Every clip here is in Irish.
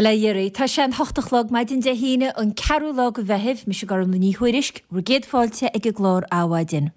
Bail ó Dhia oraibh. Tá sé an hocht a chlog maidin Dé hAoine, an ceathrú lá de Mheitheamh. Mise Gormlaith Ní Thuairisg, bhur gcéad fáilte ag an gclár Adhmhaidin.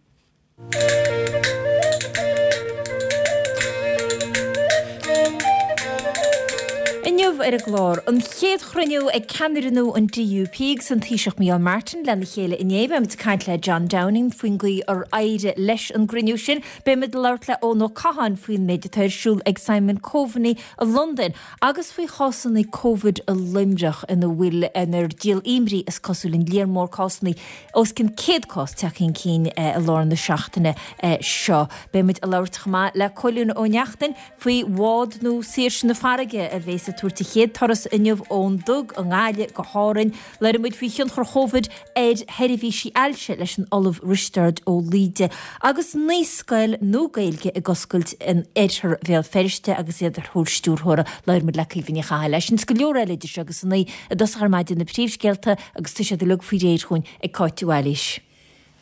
Inniu ar an gclár, an chéad chruinniú ag ceannaire nua an DUP agus an Taoiseach Micheál Martin lena chéile inné. Beimid ag caint le John Downing faoin gcaoi ar éirigh leis an gcruinniú sin. Beimid ag labhairt le Eoin Ó Catháin faoin méid atá ar siúl ag Simon Coveney i Londain. Agus faoi chásanna Covid i Luimneach ina bhfuil inar díol imní is cosúil an líon mór cásanna, os cionn 100 cás tagtha chun cinn i lár na seachtaine seo. Beidh muid ag labhairt chomh maith le Cóilín Ó Neachtain faoi bhád nua Saoirse na Farraige a bhéas ag tabhairt a chéad turas inniu ón Dug i nGaillimh go hÁrainn. Labhróidh muid faoi thionchar Chóvid ar sheirbhísí ailse leis an Ollamh Risteárd Ó Laoide agus naíscoil nua Gaeilge ag oscailt in oirthear Bhéal Feirste agus iad ar thóir stiúrthóra. Labhróidh muid le Caoimhe Ní Chathail. É sin is go leor eile idir seo agus a naoi i dtosach ar maidin na príomhscéalta agus tá siad uilig faoi réir chugainn ag Cáit de Bhailís.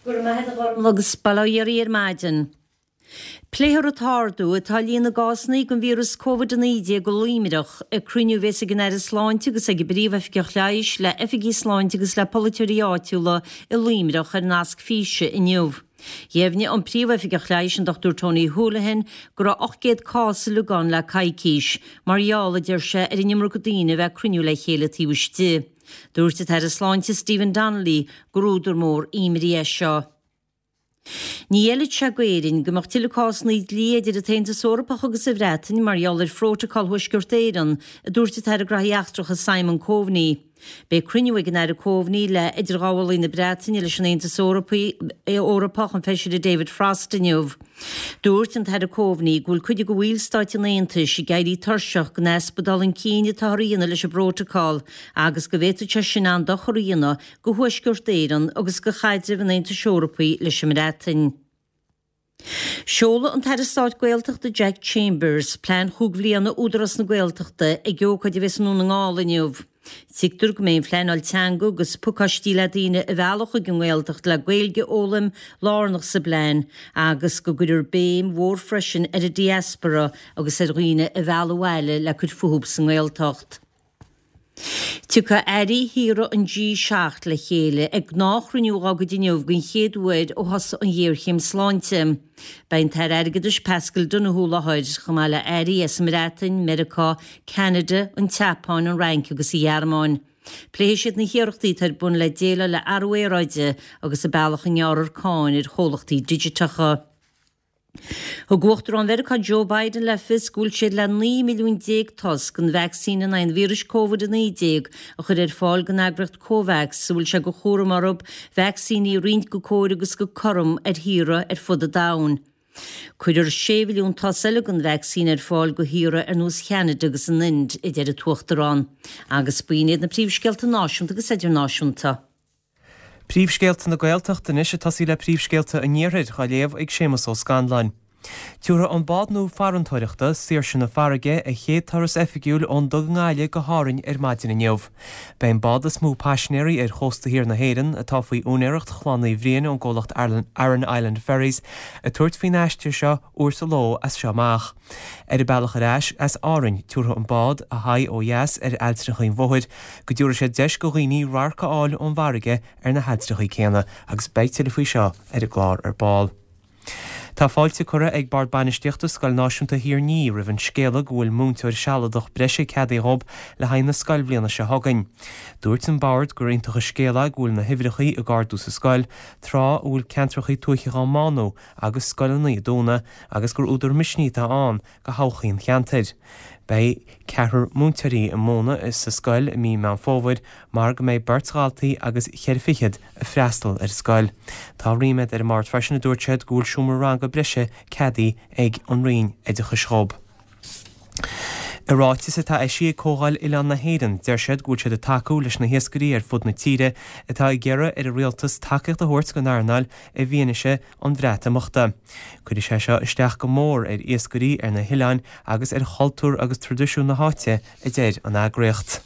Go raibh maith agat a Ghormlaith agus bail ó Dhia oraibh ar maidin. Pléifear an t-ardú atá i líon na gcásanna den víreas Covid-19 i Luimneach ag cruinniú a bhéas ag an Aire Sláinte agus ag an bPríomh-Oifigeach Leighis le oifigigh sláinte agus le polaiteoirí áitiúla i Luimneach ar nasc físe inniu. Dheimhnigh an Príomh-Oifigeach Leighis an Dr Tony Holohan go raibh 800 cás uilig ann le coicís, mar gheall, a deir sé, ar an iomarca daoine a bheith ag cruinniú le chéile taobh istigh. Dúirt an tAire Sláinte Stephen Donnelly gur údar mór imní é seo. Ní fheilfeadh sé d'Éirinn go mbeadh tuilleadh cásanna dlí idir an tAontas Eorpach agus an Bhreatain mar gheall ar Phrótacal Thuaisceart Éireann, a dúirt an tAire Graithí Eachtracha Simon Coveney. Beidh cruinniú ag an Aire Coveney le idirghabhálaí na Breataine leis an Aontas Eorpach, an Feisire David Frost, inniu. Dúirt an tAire Coveney go bhfuil cuid de bhallstáit an Aontais ag éirí tuirseach den easpa dul chun cinn atáthar a dhéanamh leis an bprótacal agus go bhféadfadh sé sin an-dochar a dhéanamh do Thuaisceart Éireann agus do chaidreamh an Aontais Eorpaigh leis an mBreatain. Seolfaidh an tAire Stáit Gaeltachta Jack Chambers plean chúig bhliana Údarás na Gaeltachta ag ócáid a bheas i nDún na nGall inniu. Tuigtear go mbeidh an phleanáil teanga agus pacáistí le daoine a mhealladh chuig an nGaeltacht le Gaeilge a fhoghlaim lárnach sa bplean agus go gcuirfear béim mhór freisin ar an diaspora agus ar dhaoine a mhealladh abhaile le cur fúthu sa nGaeltacht. Tiocfaidh airí thíortha an G7 le chéile ag gnáthchruinniú dá gcuid inniu den chéad uair ó thosaigh an ghéarchéim sláinte. Beidh an tAire Airgeadais Paschal Donohoe i láthair, chomh maith le airí as an mBreatain, Meiriceá, Ceanada, an tSeapáin, an Fhrainc agus an Ghearmáin. Pléifidh siad na hiarrachtaí atá ar bun le déileáil le athrú aeráide agus an bealach a ngearrfar cáin ar chomhlachtaí digiteacha. Thug Uachtarán Mheiriceá Joe Biden le fios go bhfuil siad le 19 milliún toss den vacsaín in aghaidh an víris Covid-19 a chur ar fáil don eagraíocht Covax, a bhfuil sé de chúram orthu vacsaíní a roinnt go cóir agus go cothrom ar thíortha ar fud an domhain. Cuirfear 6 mhilliún toss eile den vacsaín ar fáil do thíortha ar nós Cheanada agus an Ind, a deir an tUachtarán. Agus b'in iad na príomhscéalta náisiúnta agus idirnáisiúnta. Príomhscéalta na Gaeltachta anois ag tosaí le príomhscéalta an Iarthair, á léamh ag Séamus Ó Scanláin. Tabharfaidh an bád nua farantóireachta, Saoirse na Farraige, a chéad turas oifigiúil ón Dug i nGaillimh go hÁrainn ar maidin inniu. Beidh an bád is mó paisinéirí ar chósta thiar na hÉireann, atá faoi úinéireacht Chlann Uí Bhriain ón gcomhlacht Aran Island Ferries, ag tabhairt faoin aistear seo uair sa ló as seo amach. Ar a bealach ar ais as Árainn, tabharfaidh an bád a haghaidh ó dheas ar ailltreacha an Mhothair go dtabharfaidh sé deis go dhaoine radharc a fháil ón bhfarraige ar na hailltreacha céanna agus beidh tuilleadh faoi seo ar an gclár ar ball. Tá fáilte curtha ag Bord Bainistíochta Scoil Náisiúnta Thír an Fhia roimh an scéala go bhfuil múinteoir sealadach breise ceadaithe dhób le haghaidh na scoilbhliana seo chugainn. Dúirt an Bord gur iontach an scéal é go bhfuil na huimhreacha ag ardú sa scoil tráth a bhfuil ceantracha tuaithe á mbánú agus scoileanna ag dúnadh agus gur údar misnigh atá ann go thodhchaí an cheantair. Beidh ceathrar múinteoirí ag múineadh sa scoil i mí Meán Fómhair mar go mbeidh beirt dhaltaí agus cheithre fichead ag freastal ar an scoil. Tá ríméad ar an mbord freisin a dúirt siad go bhfuil seomra ranga breise ceadaithe ag an Roinn Oideachais dhób. I ráiteas atá eisithe ag Comhdháil Oileán na hÉireann, deir siad go bhfuil siad ag tacú leis na hiascairí ar fud na tíre atá ag iarraidh ar an rialtas tacaíocht a thabhairt don earnáil i bhfianaise an Bhreatimeachta. Cuirfidh sé seo isteach go mór ar iascairí ar na hoileáin agus ar chultúr agus traidisiún na háite, a deir an eagraíocht.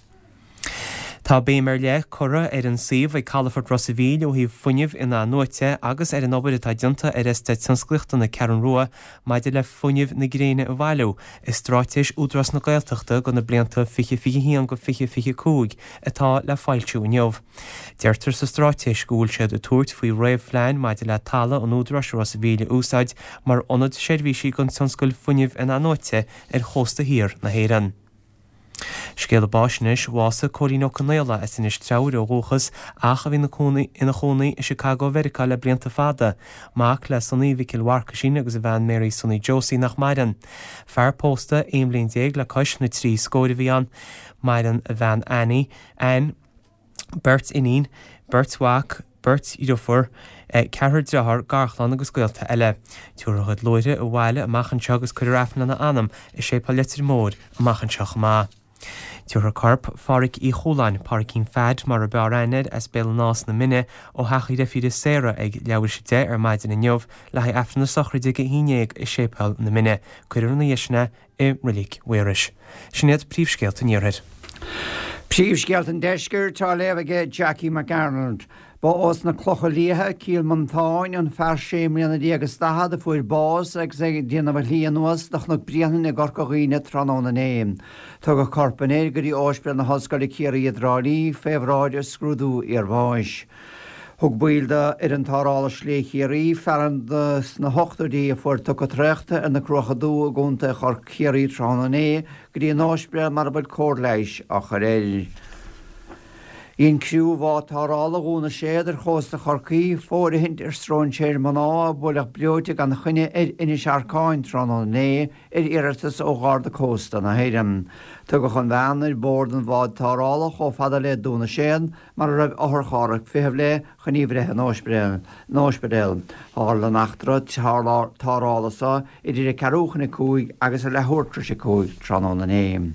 Tá béim ar leith curtha ar an suíomh ag Calafort Ros a' Mhíl ó thaobh fuinneamh in-athnuaite agus ar an obair atá déanta ar Eastát Tionsclaíochta na Ceathrún Rua maidir le fuinneamh na gréine a bhailiú i Straitéis Údarás na Gaeltachta do na blianta 2021-2025 atá le foilsiú inniu. Deirtear sa straitéis go bhfuil siad ag tabhairt faoi réamhphlean maidir le talamh an Údaráis i Ros a' Mhíl a úsáid mar ionad seirbhísí don tionscal fuinnimh in-athnuaite ar chósta thiar na hÉireann. Scéala báis anois, bhásaigh Cóilín Ó Conaola as Inis Treabhair ó dhúchas ach a bhí ina chónaí i Chicago Mheiriceá le blianta fada. Mac le Sonaí Mhicil Mharcaisín agus a bhean Mary Sonaí Josie nach maireann. Fear pósta 11 bhliain le cois na dtrí scóir a bhí ann. Maireann a bhean Annie, Ann, beirt iníon, beirt mhac, beirt dhriofúr, ceathrar dearthár, garchlann agus gaolta eile. Tabharfar a chuid luaithre abhaile amach anseo agus cuirfear Aifreann lena anam i Séipéal Leitir Móir amach anseo chomh maith. Tabharfar corp Phádhraic Uí Chualáin, Pádraicín Pheaid mar a b'fhearr aithne air, as Béal an Átha sna Mine, ó theach a dhreifíre Sarah ag leathuair théis 10 ar maidin inniu le haghaidh Aifreann na sochraide ag a 11 i Séipéal na Mine. Cuirfear ina dhiaidh sin é i Reilig Mhaorais. Sin iad príomhscéalta an Iarthair. Príomhscéalta an Deiscirt á léamh aige Jackie McArnold. Ba ós na Clocha Liatha, Cill Mhantáin, an fear sé mbliana déag is daichead a fuair bás agus é ag déanamh a shlí anuas do Chnoc Bréanainn i gCorca Dhuibhne tráthnóna inné. Tugadh corp an fhir go dtí Óispidéal na hOllscoile Ciarraí i dTrá Lí fé bhráid scrúdú iarbháis. Thug baill d'fhoireann Tarrthála Slí Chiarraí fear sna hochtóidí a fuair tocadh traochta ar na Cruacha Dubha i gContae Chiarraí tráthnóna inné go dtí an óispidéal mar a bhfuil cóir leighis á chur air. Dhein criú bhád tarrthála Dhún na Séad ar chósta Chorcaí fóirithint ar stróinséir mná a buaileadh breoite gan choinne ar Inis Arcáin tráthnóna inné ar iarratas ó Gharda Cósta na hÉireann. Tugadh an bhean ar bord an bháid tarrthála chomh fada le Dún na Séad mar a raibh otharcharr ag feitheamh léi chun í a bhreith 'on óispidéal. Tharla an eachtra tarrthála so idir a ceathrú chun a cúig agus a leathuair tar éis a cúig tráthnóna inné.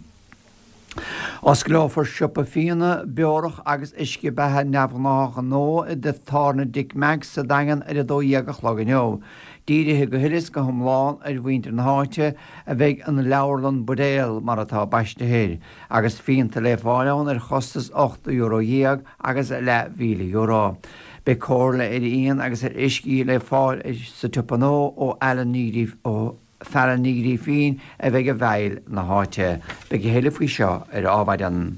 Osclófar siopa fíona, beorach agus uisce beatha neamhghnáthach nua i dteach tábhairne Dick Mack's sa Daingean ar a 12 a chlog inniu. Dírithe go huile is go hiomlán ar mhuintir na háite a bheidh an Leabharlann Buidéal, mar atá baistithe air. agus fíonta le fáil ann ar chostas €18 agus leathmhíle euro. Beidh comhairle ar fhíon agus ar uiscí le fáil sa tsiopa nua ó Alan Ní ó Phailine Ní Ghrífín a bheidh i bhfeighil na háite. Beidh a thuilleadh faoi seo ar Adhmhaidin.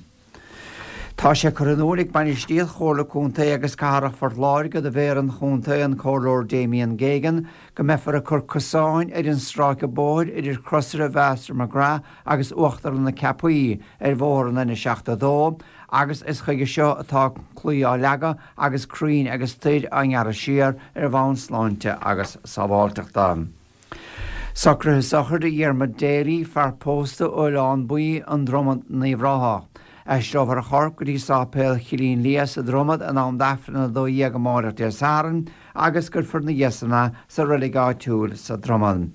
Tá sé curtha in iúl ag bainistíocht Chomhairle Contae agus Cathrach Phort Láirge do Mhéara an Chontae, an Comhairleoir Damien Geoghegan, go mbeifear ag cur cosáin ar an stráice bóthair idir Crosaire Mhaster McGrath agus Uachtarlann na Ceapaí ar bhóthar an N72 agus is chuige seo atá claí á leagadh agus crainn agus toir á ngearradh siar ar bhonn sláinte agus sábháilteachta. Socruithe sochraide Dhiarmuid Daly, fear pósta ó Oileán Buí, An Dromad, in Uíbh Ráthach. Aistreofar a chorp go dtí Sáipéal Chillín Liath sa Dromad in am d'Aifreann 12 amáireach Dé Sathairn agus cuirfear ina dhiaidh san é sa reilig áitiúil sa Dromad.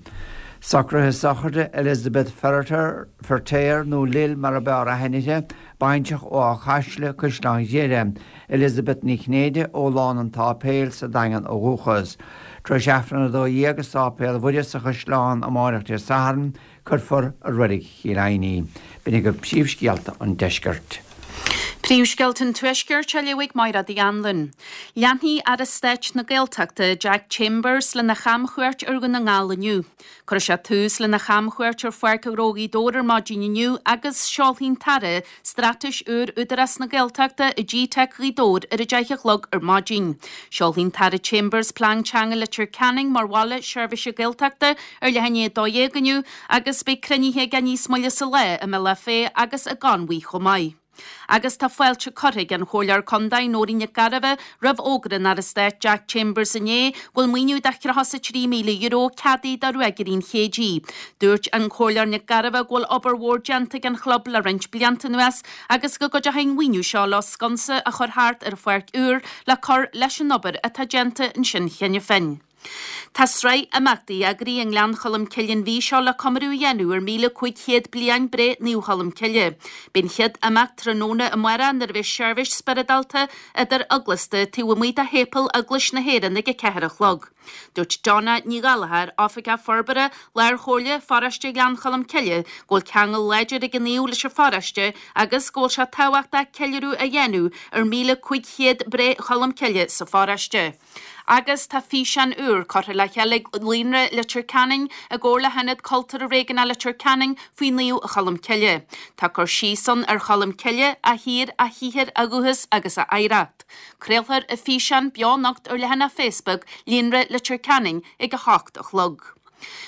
Socruithe sochraide Elizabeth Ferriter, Feirtéar nó Lil mar a b'fhearr aithne uirthi, baintreach ó Áth Caisle, Caisleán Ghriaire, Elizabeth Ní Chinnéide ó Lána an tSáipéil sa Daingean ó dhúchas. Tar éis Aifreann 12 i Sáipéal Mhuire sa Chaisleán amáireach Dé Sathairn, Cuirfear i Reilig Chill Aidhne í. B'in agaibh príomhscéalta an deiscirt. Príomhscéalta an Tuaiscirt á léamh ag Mairéad Uí Anluain. Leanfaidh Aire Stáit na Gaeltachta, Jack Chambers, lena chamchuairt ar Dhún na nGall inniu. Cuirfidh sé tús lena chamchuairt ar Pháirc Ghnó Ghaoth Dobhair ar maidin inniu agus seolfaidh an tAire Straitéis úr Údarás na Gaeltachta i GTeic Ghaoth Dobhair ar a 10 a chlog ar maidin. Seolfaidh an tAire Chambers Plean Teanga Leitir Ceanainn mar bhaile seirbhíse Gaeltachta ar leath i ndiaidh 12 inniu agus beidh cruinnithe aige níos moille sa lá i mBealach Féich agus i gConmhaigh chomh maith. Agus tá fáilte curtha ag an Chomhairleoir Contae Nóirín Nic Gairbheith roimh fhógra an Aire Stáit Jack Chambers inné go bhfuil maoiniú de €33,000 ceadaithe do Ruagairí an Chéididh. Dúirt an Comhairleoir Nic Gairbheith go bhfuil obair mhór déanta ag an chlub le roinnt blianta anuas agus go gcuideoidh an mhaoiniú seo leo sconsa a chur thart ar an pháirc úr le cur leis an obair atá déanta ansin cheana féin. Tá sraith imeachtaí eagraithe i nGleann Cholm Cille an mhí seo le comóradh a dhéanamh ar 1,500 bliain breith Naomh Cholm Cille. Beidh an chéad imeacht tráthnóna amárach nuair a bheidh seirbhís spioradálta idir eaglasta taobh amuigh de shéipéal Eaglais na hÉireann ag a 4 a chlog. Dúirt Donna Ní Ghallchóir, Oifigeach Forbartha Lár-Chomhairle Pharóiste Ghleann Cholm Cille, go bhfuil ceangal láidir ag an naomh leis an pharóiste agus go bhfuil sé tábhachtach ceiliúradh a dhéanamh ar 1,500 breith Cholm Cille sa pharóiste. Agus tá físeán úr curtha le chéile ag Líonra Leitir Ceanainn i gcomhar le hIonad Cultúrtha Réigiúnach Leitir Ceanainn faoi Naomh Cholm Cille. Tá cur síos ann ar Cholm Cille, a thír, a shaothar, a dhúchas agus a oidhreacht. Craolfar an físeán beo anocht ar leathanach Facebook Líonra Leitir Ceanainn ag 8 a chlog.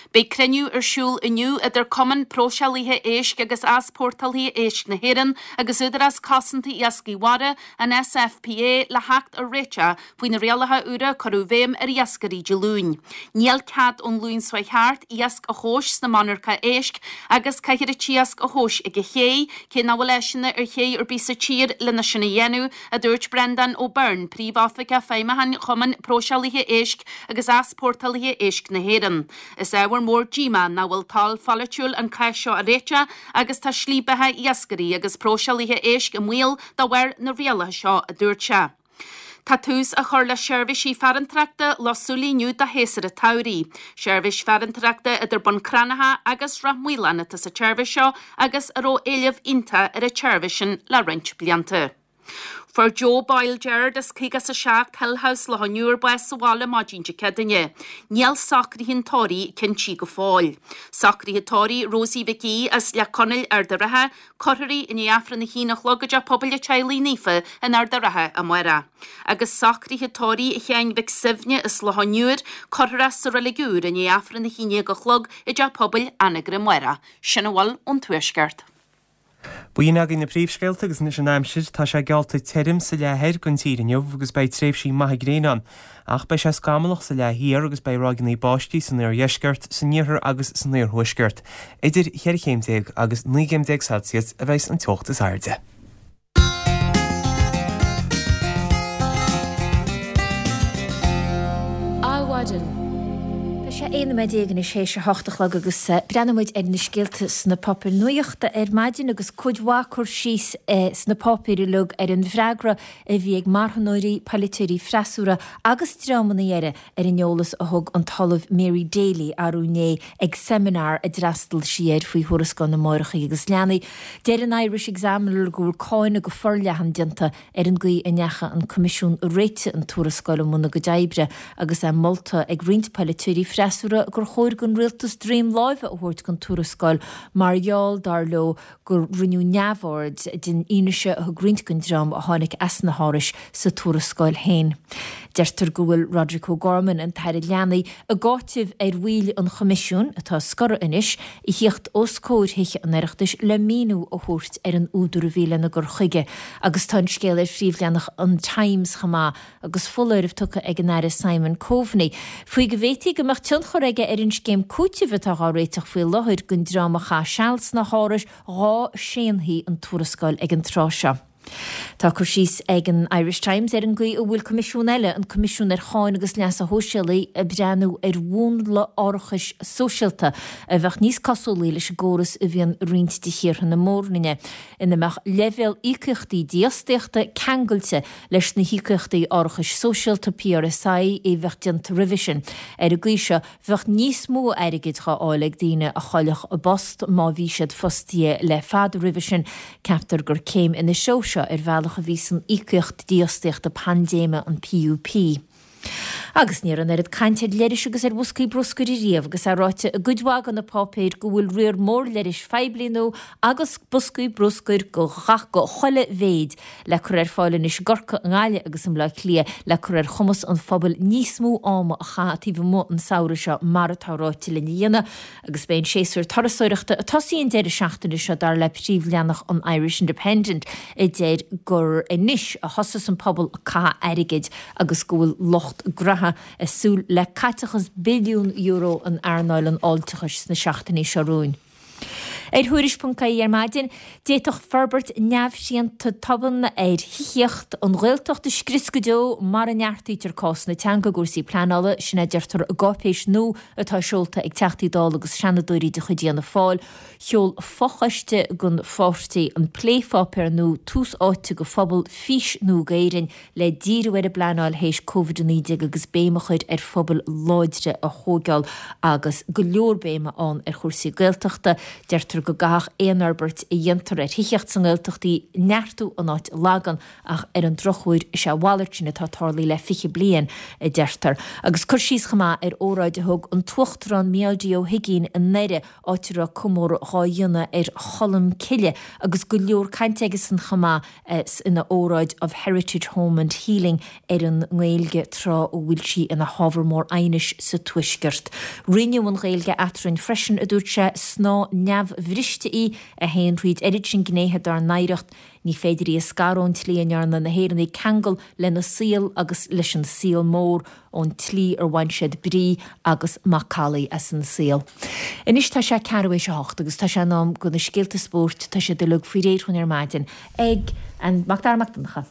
Beidh cruinniú ar siúl inniu idir Cumann Próiseálaithe Éisc agus Easpórtálaithe Éisc na hÉireann agus Údarás Cosanta Iascaigh Mhara, an SFPA, le theacht ar réiteach faoi na rialacha úra a cuireadh i bhfeidhm ar iascairí Dé Luain. Níl cead ón Luan seo chuaigh thart iasc a thomhas sna monarcha éisc agus caithfear an t-iasc a thomhas ag an ché, cé nach bhfuil áiseanna ar ché ar bith sa tír lena sin a dhéanamh, a dúirt Breandán Ó Beirn, Príomhoifigeach Feidhmiúcháin Chumann Próiseálaithe Éisc agus Easpórtálaithe Éisc na hÉireann. Is ábhar mór díomá nach bhfuil toil pholaitiúil an cás seo a réiteach agus tá slí beatha iascairí agus próiseálaithe éisc i mbaol de bharr na rialacha seo, a dúirt sé. Tá tús á chur le seirbhísí farantóireachta Loch Súilí inniu do shéasúr an tsamhraidh. Seirbhís farantóireachta idir Bun Cranncha agus Ráth Maoláin atá sa tseirbhís seo agus a raibh éileamh iontach ar an tseirbhís sin le roinnt blianta. Fuair Joe Boyle Gerard as 57 Hill House, Loch an Iúir bás sa bhaile maidin Dé Céadaoine. Níl socruithe an tórraimh cinntithe go fóill. Socruithe tórraimh Rosie Mhic Aoidh as Leac Chonaill, Ard a' Rátha, cuirfear í i ndiaidh Aifreann a haon a chlog i dTeach Pobail an Teaghlaigh Naofa in Ard a' Rátha amárach. Agus socruithe tórraimh Sheáin Mhic Suibhne as Loch an Iúir, cuirfear é sa Reilig Úr i ndiaidh Aifreann a haon déag a chlog i dTeach Pobail Anagaire amárach. Sin a bhfuil ón Tuaisceart. B'in agaibh na príomhscéalta agus anois an aimsir. Tá sé geallta tirim sa leath thoir den tír inniu agus beidh tréimhsí maithe gréine ann. Ach beidh sé scamallach sa leath thiar agus beidh ráigeanna báistí san oirdheisceart, san iarthar agus san iarthuaisceart. Idir cheithre chéim déag agus 19 gcéim Celsius a bheas an teocht is airde. Adhmhaidin. Tá sé 11 nóiméad anois théis a hocht a chlog agus breathnóidh muid ar na scéalta sna páipéir nuachta ar maidin agus cuid mhaith cur síos sna páipéir uilig ar an bhfreagra a bhí ag marthanóirí, polaiteoirí freasúra agus dreamanna eile ar an eolas a thug an tOllamh Mary Daly arú inné ag seimineár a d'fhreastail sí air faoi Thuarascáil na Máithreacha agus Leanaí. Deir an Irish Examiner go bhfuil cáineadh go forleathan déanta ar an gcaoi a ndeachaigh an Coimisiún a réitigh an tuarascáil i mbun a gcuid oibre agus é molta ag roinnt polaiteoirí freasúra gur chóir don rialtas droim láimhe a thabhairt don tuarascáil mar gheall, dar leo, gur rinneadh neamhaird den fhianaise a thug roinnt den dream a tháinig as na hárais sa tuarascáil féin. Deirtear go bhfuil Roderic O'Gorman, an tAire Leanaí, ag áiteamh ar bhaill an Choimisiúin, atá scortha anois, a thíocht os comhair Thithe an Oireachtais le míniú a thabhairt ar an údar a bhí lena gcur chuige agus tá an scéal ar phríomhleathanach an Times chomh maith. agus foláireamh tugtha ag an Aire Simon Coveney faoi go bhféadfaí go mbeadh tionchar aige ar an scéim cúitimh atá dhá réiteach faoi láthair don dream a chaith seal sna hárais dhá séanfaí an tuarascáil ag an tráth seo. Tá cur síos ag an Irish Times ar an gcaoi a bhfuil coimisiún eile, an Coimisiún ar Cháin agus Leasa Shóisialaigh, ag breathnú ar mhúnla árachais sóisialta a bheadh níos cosúlaí leis an gcóras a bhíonn i roinnt de thíortha na Mór-Roinne, ina mbeadh leibhéal íocaíochtaí dífhostaíochta ceangailte leis na híocaíochtaí árachais sóisialta, PRSI, a bheadh déanta roimhe sin. Ar an gcaoi seo, bheadh níos mó airgid dhá fháil ag daoine a chaillfeadh a bpost má bhí siad fostaithe le fada roimhe sin. Ceaptar gur céim ina threo seo ar bhealach a bhí san íocaíocht dífhostaíochta paindéime, an PUP. Agus ní raibh an oiread cainte ar leithris agus ar bhoscaí bruscair ariamh, agus é ráite i gcuid mhaith de na páipéir go bhfuil riar mór leithris phoiblí nua agus boscaí bruscair de gach de chuile mhéid le cur ar fáil anois i gCorcaigh, i nGaillimh agus i mBleá Cliath le cur ar chumas an phobail níos mó ama a chaitheamh taobh amuigh an samhradh seo mar atá ráite linn a dhéanamh. Agus beidh an séasúr turasóireachta ag tosaí an deireadh seachtaine seo, dar le príomhleathanach an Irish Independent, a deir gur anois a thosós an pobal ag caitheamh airgid agus go bhfuil lucht graithe ag súil le caiteachas billiún euro in earnáil an fháilteachais sna seachtainí seo romhainn. Ar Thuairisc.ie ar maidin, d'fhéadfadh forbairt neamhshrianta tobann ar thithíocht an Ghaeltacht a scrios go deo mara neartaítear cás na teanga i gcúrsaí pleanála, sin a deirtear i gcáipéis nua atá seolta ag Teachtaí Dála agus Seanadóirí de chuid Fhianna Fáil. Sheol fochoiste den pháirtí an plépháipéar nua Tús Áite do Phobal, Fís Nua d'Éirinn le díriú ar an bpleanáil théis Covid-19 agus béim a chur ar phobail láidre a thóigeáil agus go leor béime ann ar chúrsaí Gaeltachta. Deirtear go gcaithfeadh aon fhorbairt a dhéantar ar thithíocht sa nGaeltacht í neartú in áit a lagan ach ar an drochuair is é a mhalairt sin atá tarlaithe le 20 bliain, a deirtear. Agus cur síos chomh maith ar óráid a thug an tUachtarán Mícheál D Ó hUigínn i nDoire áit a raibh comóradh dhá dhéanamh ar Cholm Cille agus go leor cainte aigesan chomh maith ina óráid 'Of Heritage, Home and Healing' ar an nGaeilge tráth a bhfuil sí ina hábhar mór aighnis sa Tuaisceart. Roinneadh an Ghaeilge eadrainn freisin, a dúirt sé, snáth neamhbhriste í a théann thríd oiread sin gnéithe dár n-oidhreacht, ní féidir í a scaradh ón tslí a ndearna na hÉireannaigh ceangal lena saol agus leis an saol mór. ón tslí ar bhain siad brí agus macallaí as an saol. Anois tá sé ceathrú théis a hocht agus tá sé in am do na scéalta spóirt, tá siad uilig faoi réir dhúinn ar maidin ag an Mac Dara Mac Donncha.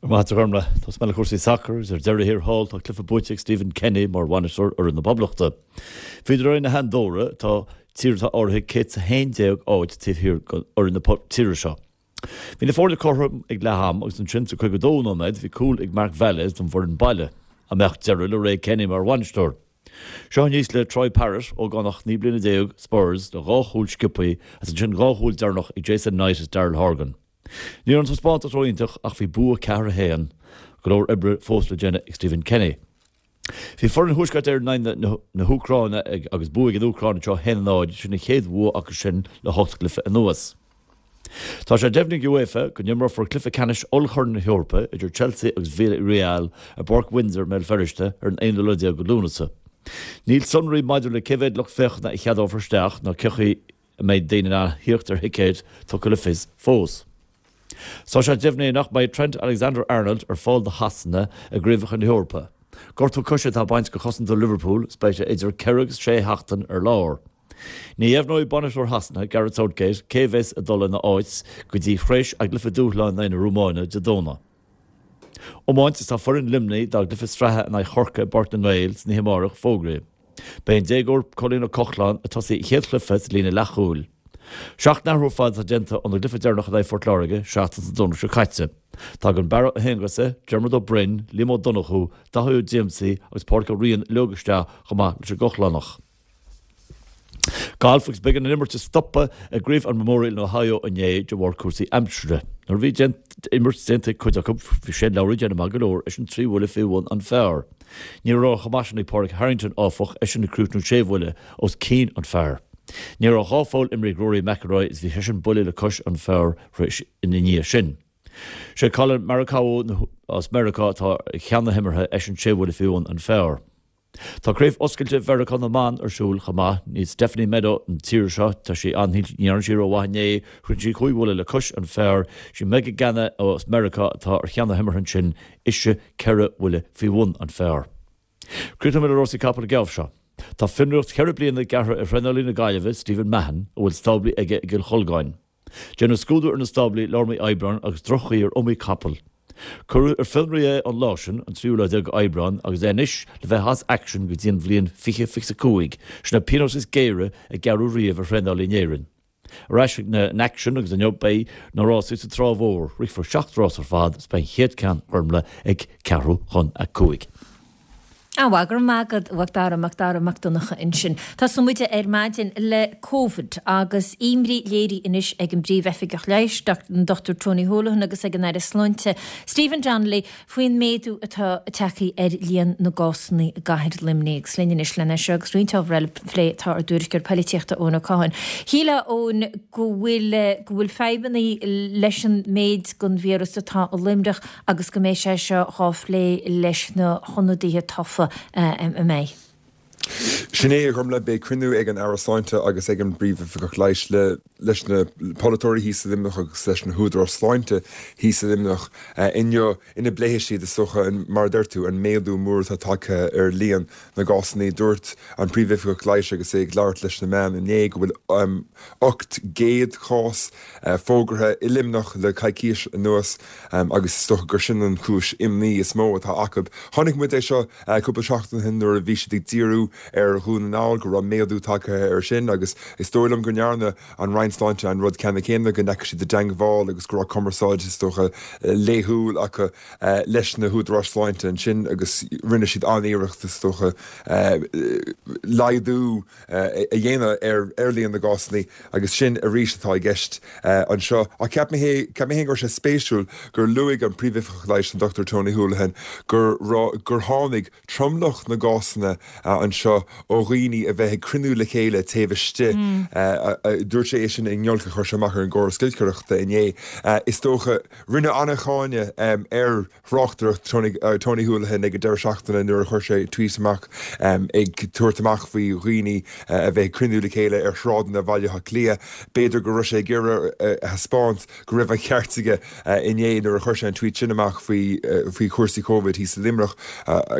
Maith agat a Ghormlaith. Tosóidh mé le cúrsaí sacair agus ar deireadh thiar thall tá cluiche buaite ag Stephen Kenny mar bhainisteoir fhoireann na Poblachta. Bhíodar in aghaidh na hAndóra, atá tír atá áirithe 111 áit taobh thiar d'fhoireann na tíre seo. Bhí na foirne cothrom ag leath am agus ansin sa 52 nóiméad bhí cúl ag Marc Vales don bhfoireann baile. An mbeadh deireadh le ré Kenny mar bhainisteoir? Seo aníos le Troy Parrott, ógánach 19 bliana, Spurs, le dhá chúl sciobthaí agus ansin dhá chúl deireanach ag Jason Knight is Daryl Horgan. Ní raibh an taispeántas ró-iontach ach bhí bua 4, 1. Go leor oibre fós le déanamh ag Stephen Kenny. Bhí foireann Thuaisceart Éireann in aghaidh na hÚcráine agus bua ag an Úcráin anseo 1-0, sin an chéad bhua acu sin le hocht gcluiche anuas. Tá sé deimhnithe ag UEFA go n-imreofar cluiche ceannais Ollchorn na hEorpa idir Chelsea agus Villarreal i bPáirc Windsor i mBéal Feirste ar an aonú lá déag de Lúnasa. Níl sonraí maidir le cé mhéad lucht féachana a cheadófar isteach ná cén chaoi a mbeidh daoine in ann theacht ar thicéid tugtha le fios fós. Tá sé deimhnithe nach mbeidh Trent Alexander-Arnold ar fáil do Shasana i gCraobhacha na hEorpa. Gortú coise atá bainte de chosantóir Liverpool is beidh sé idir ceithre agus sé sheachtain ar lár. Ní dheimhneoidh bainisteoir Shasana, Gareth Southgate, cé a bheas ag dul ina áit go dtí thréis a gcluiche dúshláin in aghaidh na Rómáine Dé Domhnaigh. Iomáint is tá foireann Luimnigh dá gcluiche sraithe in aghaidh Chorcaí i bPáirc na nGael san oíche amárach fógraithe. Beidh an déagóir Cóilín Ó Cochláin ag tosaí a chéad chluiche sa líne leathchúil. Seacht n-athrú ar fad atá déanta óna gcluiche deireanach in aghaidh Phort Láirge seachtain sa Domhnach seo caite. Tagann Barra Ó hAonghusa, Diarmuid Ó Broin, Liam Ó Donnchú, Daithí Ó Díomsaigh agus Pádraic Ó Riain uilig isteach chomh maith leis an gCochlánach. Galf agus b'éigean an imirt a stopadh i gCraobh an Memorial in Ohio inné de bharr cúrsaí aimsire. Nuair a bhí imirt déanta ag cuid acu, bhí Shane Lowry ag déanamh maith go leor, eisean trí bhuille faoi bhun an phar. Ní raibh chomh maith sin ag Pádraig Harrington, áfach, eisean ag críochnú sé bhuille os cionn an phar. Ní raibh dhá pholl imrithe ag Rory McIlroy is bhí seisean buille le cois an phar ina ndiaidh sin. Sé Collin Morikawa as Meiriceá atá ar cheann na himeartha, eisean sé bhuille faoi bhun an phar. Tá Craobh Oscailte Mheiriceá na mBan ar siúl chomh maith. Níl Stephanie Meadow an tír seo, tá sí an, ní dhearna sí rómhaith inné, chríochnaigh sí cúig bhuille le cois an phar. Sí Megan Gannon as Meiriceá atá ar cheann na himeartha ansin, ise ceithre bhuille faoi bhun an phar. Críochnóidh mé le rásaí capall an geábh seo. Tá fionraíocht cheithre bliana gearrtha ar thraenálaí na Gaillimhe, Stephen Mahon, a bhfuil stáblaí aige i gCill Cholgáin. Déanadh scrúdú ar na stáblaí lár mí Aibreáin agus droch-chaoi ar iomaí capall. Cuireadh ar fionraí é an lá sin, an tríú lá déag Aibreán, agus é anois le bheith as aicsean go dtí an bhliain 2025. Sin an pionós is géire a gearradh riamh ar thraenálaí in Éirinn. Ar ais chuig an aicsean agus inniu beidh na rásaí sa Trá Mhór. Rithfear seacht rás ar fad is beidh an chéad ceann, a Ghormlaith, ag ceathrú chun a cúig. An-mhaith, go raibh maith agat, a Mhac Dara, Mac Dara Mac Donncha ansin. Tosóidh muid ar maidin le Covid agus imní léirithe anois ag an bPríomh-Oifigeach Leighis, an Dr Tony Holohan agus ag an Aire Sláinte, Stephen Donnelly faoin méadú atá tagtha ar líon na gcásanna i gcathair Luimnigh. Agus linn anois lena seo agus roinnt ábhar eile a phlé tá ár dtuairisceoir poilitíochta Eoin Ó Catháin. Shílfeá, Eoin, go bhfuil go bhfuil fadhbanna leis an méid den víreas atá i Luimneach agus go mbeidh sé seo dhá phlé leis na hionadaithe tofa, an mbeidh? Sin é, a Ghormlaith, beidh cruinniú ag an Aire Sláinte agus ag an bPríomhoifigeach Leighis le leis na polaiteoirí thíos i Luimneach agus leis na húdaráis sláinte thíos i Luimneach inniu ina bpléifidh siad, is dócha, mar a deir tú, an méadú mór atá tagtha ar líon na gcásanna. Dúirt an Príomhoifigeach Leighis agus é ag labhairt leis na meáin inné go bhfuil 800 cás fógartha i Luimneach le coicís anuas agus is dócha gur sin an chúis imní is mó atá acu. Chonaic muid é seo cúpla seachtain ó shin nuair a bhí siad ag díriú ar Dhún na nGall go raibh méadú tagtha air sin agus is dóigh liom go ndearna an Roinn Sláinte an rud ceannann céanna, go ndeachaigh siad i dteangmháil agus go raibh cumarsáid is dócha laethúil acu leis na húdaráis sláinte ansin agus rinne siad an-iarracht is dócha laghdú a dhéanamh ar líon na gcásanna agus sin arís atá i gceist anseo. Ach cheap mé féin go raibh sé spéisiúil gur luaigh an Príomhoifigeach Leighis, an Dr Tony Holohan, gur gur tháinig tromlach na gcásanna anseo ó dhaoine a bheith ag cruinniú le chéile taobh istigh. Dúirt sé é sin i ngiolc a chuir sé amach ar an gcóras giolcaireachta inné. Is dócha, rinneadh an-cháineadh ar thráchtaireacht Tony Holohan ag an deireadh seachtaine nuair a chuir sé tweet amach ag tabhairt amach faoi dhaoine a bheith ag cruinniú le chéile ar shráideanna Bhaile Átha Cliath. B'fhéidir go raibh sé ag iarraidh a thaispeáint go raibh an ceart aige inné nuair a chuir sé an tweet sin amach faoi faoi chúrsaí Covid thíos i Luimneach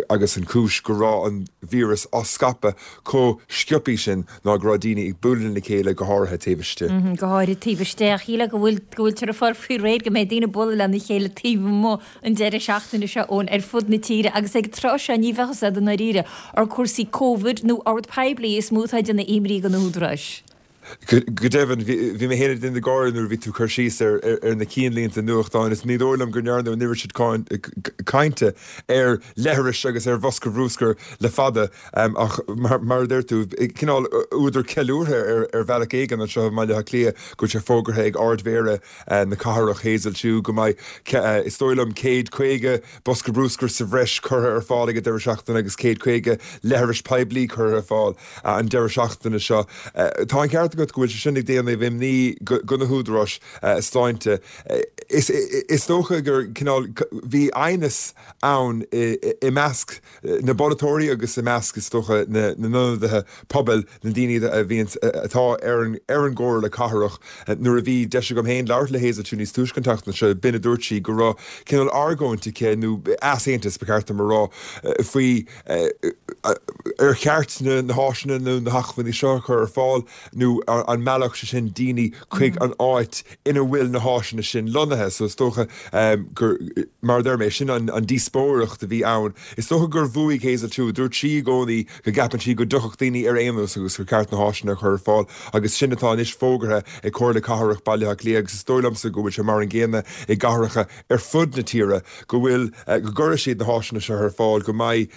agus an chúis go raibh an víreas á scaipeadh chomh sciobtha sin ná go raibh daoine ag bualadh lena chéile, go háirithe taobh istigh. Go háirithe taobh istigh. Ach shílfeá go bhfuil, go bhfuiltear ag fáil faoi réir go mbeidh daoine ag bualadh lena chéile taobh amuigh an deireadh seachtaine seo, Eoin, ar fud na tíre agus ag an tráth seo ní bheadh fhios a'd i ndáiríre ar cúrsaí Covid nó ord poiblí is mó atá ag déanamh imní do na húdaráis. Go deimhin, bhí mé féin ag déanamh gáire nuair a bhí tú ag cur síos ar na cinnlínte nuachtáin is ní dóigh liom go ndearnadh an oiread sin cainte ar leithris agus ar bhosca bhrúscair le fada ach mar a deir tú, cineál údar ceiliúrtha ar bhealach éigin anseo i mBaile Átha Cliath go bhfuil sé fógartha ag Ard-Mhéara na cathrach, Hazel Chu, go mbeidh, is dóigh liom, 150 bosca brúscair sa bhreis curtha ar fáil ag an deireadh seachtaine agus 150 leithreas poiblí curtha ar fáil an deireadh seachtaine seo. Tá an ceart agat go bhfuil sé sin ag déanamh imní do na húdaráis sláinte. Is dócha gur cineál, bhí aighneas ann i measc na bpolaiteoirí agus i measc, is dócha, na n-ionadaithe pobail, na daoine a bhíonns, atá ar an ar an gComhairle Cathrach. Nuair a bhí deis agam féin labhairt le Hazel Chu níos túisce an tseachtain seo, b'in a dúirt sí, go raibh cineál argóint aici, nó easaontas ba cheart dom a rá, faoi ar cheart na háiseanna nó na hacmhainní seo a chur ar fáil nó an meallfadh sé sin daoine chuig an áit ina bhfuil na háiseanna sin lonnaithe. So is dócha gur, mar a deir mé, sin an díospóireacht a bhí ann. Is dócha gur bhuaigh Hazel Chu. Dúirt sí i gcónaí go gceapann sí go dtiocfadh daoine ar aon nós agus gur ceart na háiseanna a chur ar fáil agus sin atá anois fógartha ag Comhairle Cathrach Baile Átha Cliath agus is dóigh liomsa go bhfuil sé mar an gcéanna i gcathracha ar fud na tíre go bhfuil, go gcuirfidh siad na háiseanna seo ar fáil, go mbeidh,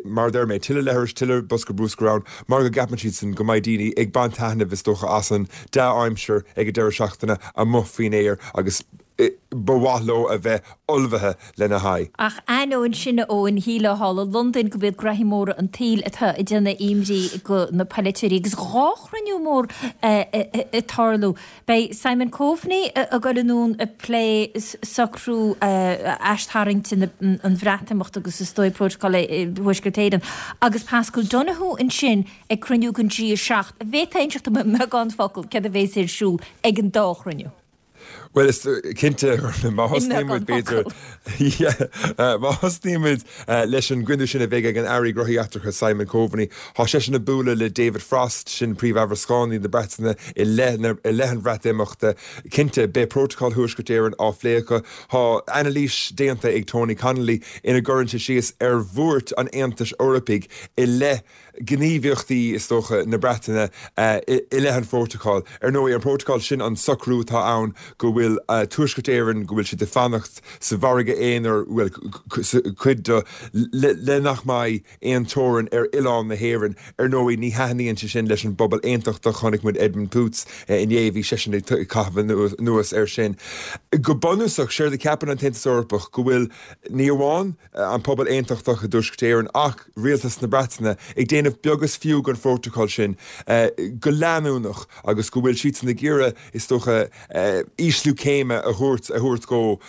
mar a deir mé, tuilleadh leithris, tuilleadh bosca brúscair ann mar go gceapann siadsan go mbeidh daoine ag baint taitnimh is dócha as an dea-aimsir ag an deireadh seachtaine amuigh faoin aer agus ba mhaith leo a bheith ullmhaithe lena haghaidh. Ach ainneoin sin, a Eoin, shílfeá thall i Londain go b'iad graithí móra an tsaoil atá ag déanamh imní do na polaiteoirí agus 2 chruinniú mór ag tarlú. Beidh Simon Coveney ag dul anonn ag plé socrú aistarraingt an Bhreatimeachta agus is dóigh Prótacal Thuaisceart Éireann agus Paschal Donohoe ansin ag cruinniú den G7. An bhféadfá inseacht dom i mbeagán focal céard a bhéas ar siúl ag an dá chruinniú? Bhuel, is cinnte, má thosnaíonn muid, b'fhéidir, má thosnaíonn muid leis an gcruinniú sin a bheidh ag an Aire Gnóthaí Eachtracha Simon Coveney, tá seisean ag bualadh le David Frost, sin Príomh-Amhrascánaí na Breataine i leith i leith an Bhreatimeachta. Cinnte, beidh Prótacal Thuaisceart Éireann á phlé acu. Tá anailís déanta ag Tony Connelly ina gcuireann sé síos ar bhuairt an Aontais Eorpaigh i leith gníomhaíochtaí, is dócha, na Breataine i leith an Phrótacail. Ar ndóigh, an Prótacal, sin an socrú atá ann go bhfuil Tuaisceart Éireann, go bhfuil siad ag fanacht sa mhargadh aonair, bhuel, cuid de, le nach mbeidh aon teorainn ar oileán na hÉireann. Ar ndóigh, ní thaitníonn sé sin leis an bpobal aontachtach. Chonaic muid Edmund Poots inné, bhí seisean ag caitheamh anuas air sin. Go bunúsach, séard a cheapann an tAontas Eorpach, go bhfuil, ní amháin, an pobal aontachtach i dTuaisceart Éireann ach rialtas na Breataine ag déanamh beag is fiú den phrótacal sin go leanúnach agus go bhfuil siadsan ag iarraidh, is dócha, ísliú. Ísliú céime a thabhairt a thabhairt dhó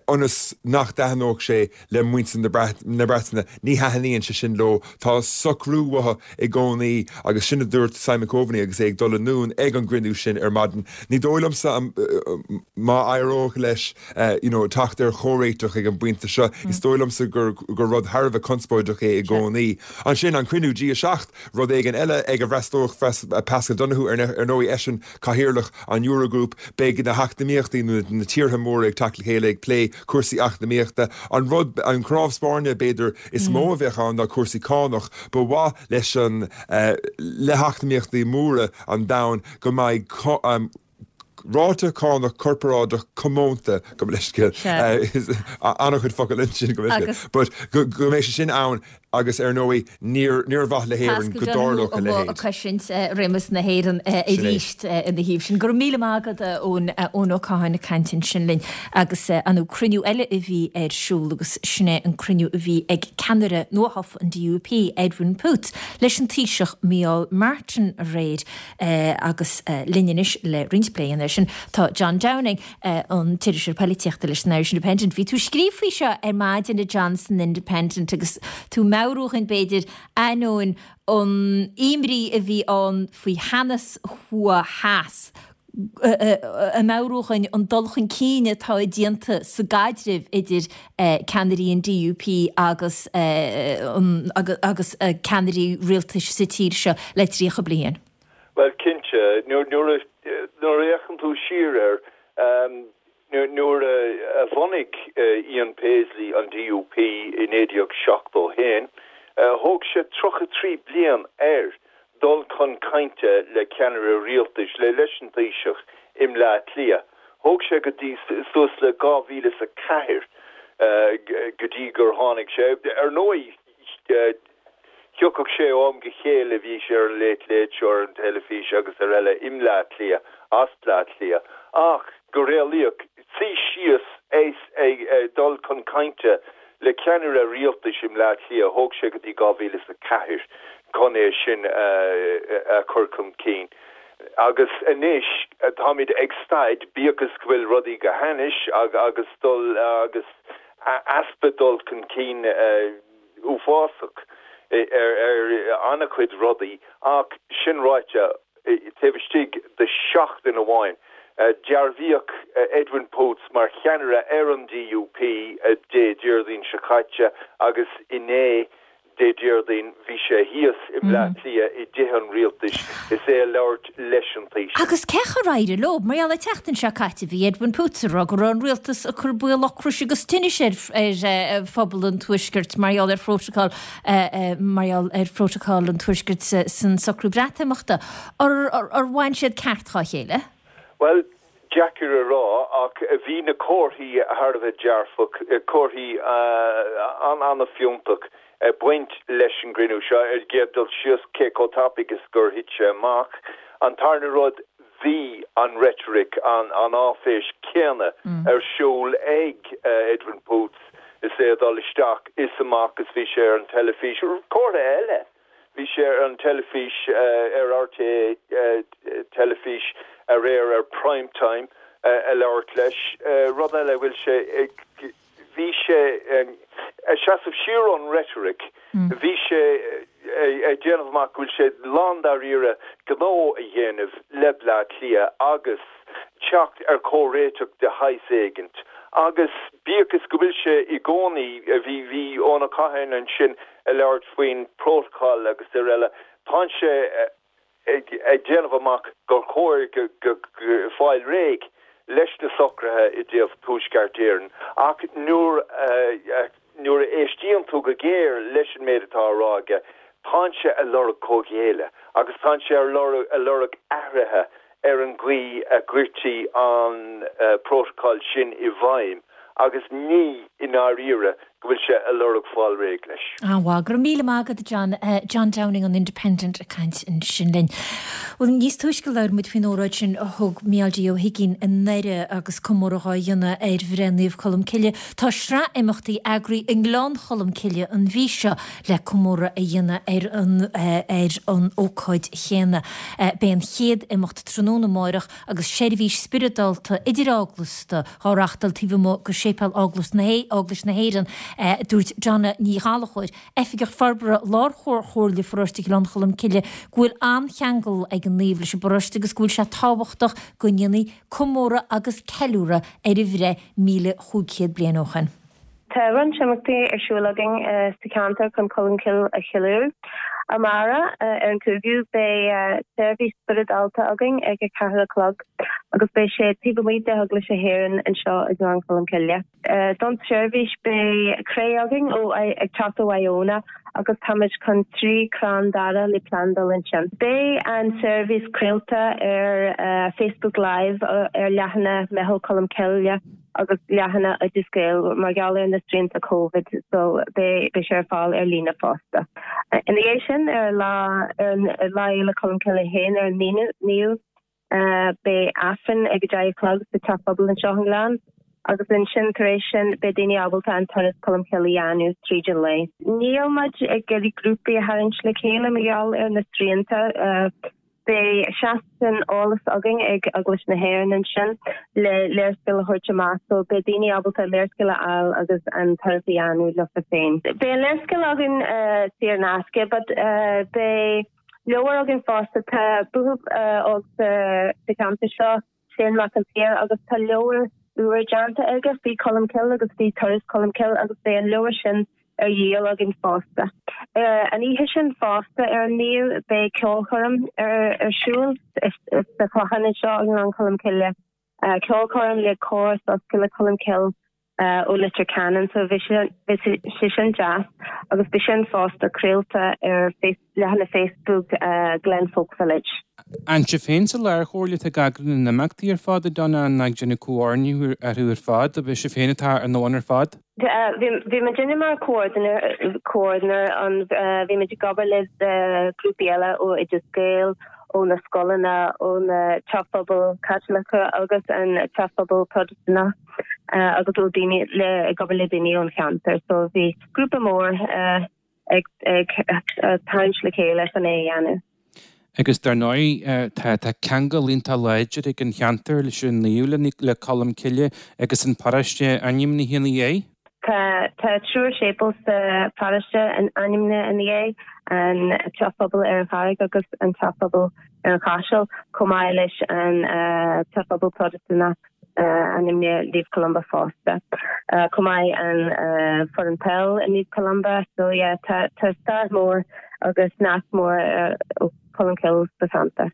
ionas nach dtaitneodh sé le muintir na Breataine. Ní thaitníonn sé sin leo. Tá socrú uathu i gcónaí agus sin a dúirt Simon Coveney agus é ag dul anonn ag an gcruinniú sin ar maidin. Ní dóigh liomsa má éireodh leis you know teacht ar chomhréiteach ag an bpointe seo, is dóigh liomsa gur gur rud thar a bheith conspóideach é i gcónaí. Ansin an cruinniú G7, rud éigin eile ag a bhfreastalóidh Paschal Donohoe ar ndóigh eisean Cathaoirleach an Eurogroup, beidh na heacnamaíochtaí nó na tíortha móra ag teacht le chéile ag plé cúrsaí eacnamaíochta. An rud, an cnámh spairne b'fhéidir is mó a bheadh ann ná cúrsaí cánach. Ba mhaith leis an, le heacnamaíochtaí móra an domhain go mbeidh ráta cánach corparáideach comónta, gabh mo leithscéal, an-chuid focal ansin, gabh mo leithscéal, but go mbeidh sé sin ann Agus ar ndóigh, níor níor mhaith le hÉirinn go dtarlódh a leithéid. ag cosaint réimeas na hÉireann arís ina thaobh sin. Go raibh míle maith agat, Eoin, Eoin Ó Catháin ag caint ansin linn agus ar ndóigh cruinniú eile a bhí ar siúl agus sin é an cruinniú a bhí ag ceannaire nuathofa an DUP, Edwin Poots, leis an Taoiseach Micheál Martin aréir agus linn anois le roinnt plé a dhéanamh air sin tá John Downing. an t-iriseoir poilitíochta leis an Irish Independent. Bhí tú ag scríobh faoi seo ar maidin a John san Independent agus tú ag meabhrú dhúinn b'fhéidir, ainneoin an imní a bhí ann faoi theannas thuaidh theas, ag meabhrú dhúinn an dul chun cinn atá déanta sa gcaidreamh idir ceannairí an DUP agus agus ceannairí rialtais sa tír seo le 30 bliain. Bhuel, cinnte, nuair a fhéachann tú siar air, nuair a bhunaigh Ian Paisley an DUP i 1971, thóg sé 33 bliain air dul chun cainte le ceannaire rialtais, leis an Taoiseach i mBleá Cliath. Thóg sé go dtí suas le 2004 go dtí gur tháinig sé. Ar ndóigh, Thiocfadh sé ó am go chéile, bhí sé ar an Late Late Show, ar an teilifís agus ar eile i mBleá Cliath, as Bleá Cliath, ach go réalaíoch, suí síos is ag dul chun cainte le ceannaire rialtais i mBleá Cliath, thóg sé go dtí 2004 chun é sin a chur chun cinn. Agus anois táimid ag staid, bíodh is go bhfuil rudaí go hainnis agus dul agus easpa dul chun cinn uafásach ar an-chuid rudaí ach sin ráite, taobh istigh de sheachtain amháin, dearbhaíodh Edwin Poots mar cheannaire ar an DUP Dé Déardaoin seo caite agus inné, Dé Déardaoin, bhí sé thíos i mBleá Cliath i dTithe an Rialtais is é ag labhairt leis an Taoiseach. Agus cén chaoi ar éirigh leo? Mar gheall an tseachtain seo caite bhí Edwin Poots ag rá go raibh an rialtas ag cur baol ocrais agus tinnis ar ar phobal an Tuaiscirt mar gheall ar phrótacal mar gheall ar phrótacal an Tuaiscirt san socrú Breatimeachta. Ar bhain siad ceart dhá chéile? Bhuel, Deacair a rá ach bhí na comharthaí thar a bheith dearfach, comharthaí an-an-fhiúntach ag baint leis an gcruinniú seo. Ar an gcéad dul síos, cé chomh tapaidh is gur thit sé amach. An tarna rud, bhí an reitric, an áiféis chéanna ar siúl ag Edwin Poots is é ag dul isteach is amach is bhí sé ar an teilifís. Comhartha eile. Bhí sé ar an teilifís ar RTÉ teilifís aréir ar Prime Time ag labhairt leis. Rud eile a bhfuil sé bhí sé ag seasamh siar ón reitric. Bhí sé ag déanamh amach go bhfuil sé lándáiríre gnó a dhéanamh le Bleá Cliath agus teacht ar chomhréiteach de shaghas éigint. Agus bíodh is go bhfuil sé i gcónaí, bhí bhí Eoin Ó Catháin ansin ag labhairt faoin bprótacal agus ar eile, tánn sé ag déanamh amach gur chóir fáil réidh leis na socruithe i dtaobh Tuaisceart Éireann ach nuair nuair a éistíonn tú go géar leis an méid atá á rá aige, tánn sé ag lorg comhghéilleadh agus tánn sé ag lorg athruithe ar an gcaoi a gcuirtí an prótacal sin i bhfeidhm agus ní i ndáiríre. go bhfuil sé ag lorg fáil réidh leis. An-mhaith. Go raibh míle maith agat, a John. John Downing an Independent ag caint ansin linn. Bhuel, níos túisce labhair muid faoin óráid sin a thug Mícheál D. Ó hUiginn i nDoire agus comóradh á dhéanamh ar bhreith Naomh Colm Cille. Tá sraith imeachtaí eagraithe i nGleann Cholm Cille an mhí seo le comóradh a dhéanamh ar an ar an ócáid chéanna. Beidh an chéad imeacht tráthnóna amáireach agus seirbhís spioradálta idir-eaglasta á reachtáil taobh amuigh de Séipéal Eaglais na Eaglais na hÉireann, a dúirt Donna Ní Ghallchóir, Oifigeach Forbartha Lárchomhairle Pharóiste Ghleann Cholm Cille, go bhfuil an-cheangal ag an naomh leis an bparóiste agus go bhfuil sé tábhachtach go ndéanfaí comóradh agus ceiliúradh ar a bhreith 1,500 bliain ó shin. Tá roinnt imeachtaí ar siúl againn sa cheantar chun Colmcille a cheiliúradh. Amárach, ar an 5ú, beidh seirbhís spioradálta againn ag a ceathair a chlog agus beidh sé taobh amuigh de Eaglais na hÉireann anseo i nGleann Cholm Cille. Don tseirbhís beidh cré againn ó ag teacht ó Iona agus táimid chun 3 chrann daire le plandáil ansin. Beidh an seirbhís craolta ar Facebook Live ar leathanach Meitheal Colmcille. agus leathanach Oideas Gael mar gheall ar na srianta Covid so beidh sé ar fáil ar líne fosta. Ina dhiaidh sin ar lá ar Lá Fhéile Colmcille féin ar an 9ú beidh Aifreann ag 10 a chlog sa Teach Pobail anseo i nGleann agus ansin tar éis sin beidh daoine ábalta an turas Colmcille a dhéanamh tríd an lae. Níl muid ag iarraidh grúpaí a tharraingt le chéile mar gheall ar na srianta. Beidh seastán eolais againn ag Eaglais na hÉireann ansin le léarscáil a thabhairt amach so beidh daoine ábalta léarscáil a fháil agus an turas a dhéanamh leofa féin. Beidh an léarscáil againn saor in aisce but beidh leabhar againn fosta. Tá buachaill óg sa cheantar seo, Shane Mac an tSaoir agus tá leabhar úr déanta aige faoi Colmcille agus faoi turas Cholmcille agus beidh an leabhar sin ar dhíol againn fosta. An oíche sin fosta, ar an 9ú, beidh ceolchoirm ar siúl sa Chlochán anseo i nGleann Cholm Cille. Ceolchoirm le Cór Soiscéalaithe Cholmcille ó Leitir Ceanainn so bhí sé sin deas agus beidh sin fosta craolta ar leathanach Facebook Glen Folk Village. An sibh féin sa Lárchomhairle atá ag eagrú na n-imeachtaí ar fad, a Donna, nó ag déanamh comhordnú orthu ar fad, ab é sibh féin atá ina mbun ar fad? Bhí muidinne mar comhordinóir an bhí muid ag obair le grúpaí eile ó Oideas Gael, ó na scoileanna, ó na teach pobail Caitliceacha agus an teach pobail Protastúnach. agus ó daoine le ag obair le daoine ón cheantar so bhí grúpa mór ag ag tarraingt le chéile chun é a dhéanamh. Agus dar ndóigh tá tá ceangal iontach láidir ag an cheantar leis an naomh le Colm Cille agus an paróiste ainmnithe ina dhiaidh. Tá tá triúr séipéal sa pharóiste ainmnithe ina dhiaidh, an Teach Pobail ar an Charraig agus an Teach Pobail ar an Chaiseal, chomh maith leis an Teach Pobail Protastúnach ainmnithe Naomh Columba fosta. Chomh maith an foireann peil i Naomh Columba. So yeah, tá tá stair mhór agus nasc mór ó Colmcille sa cheantar.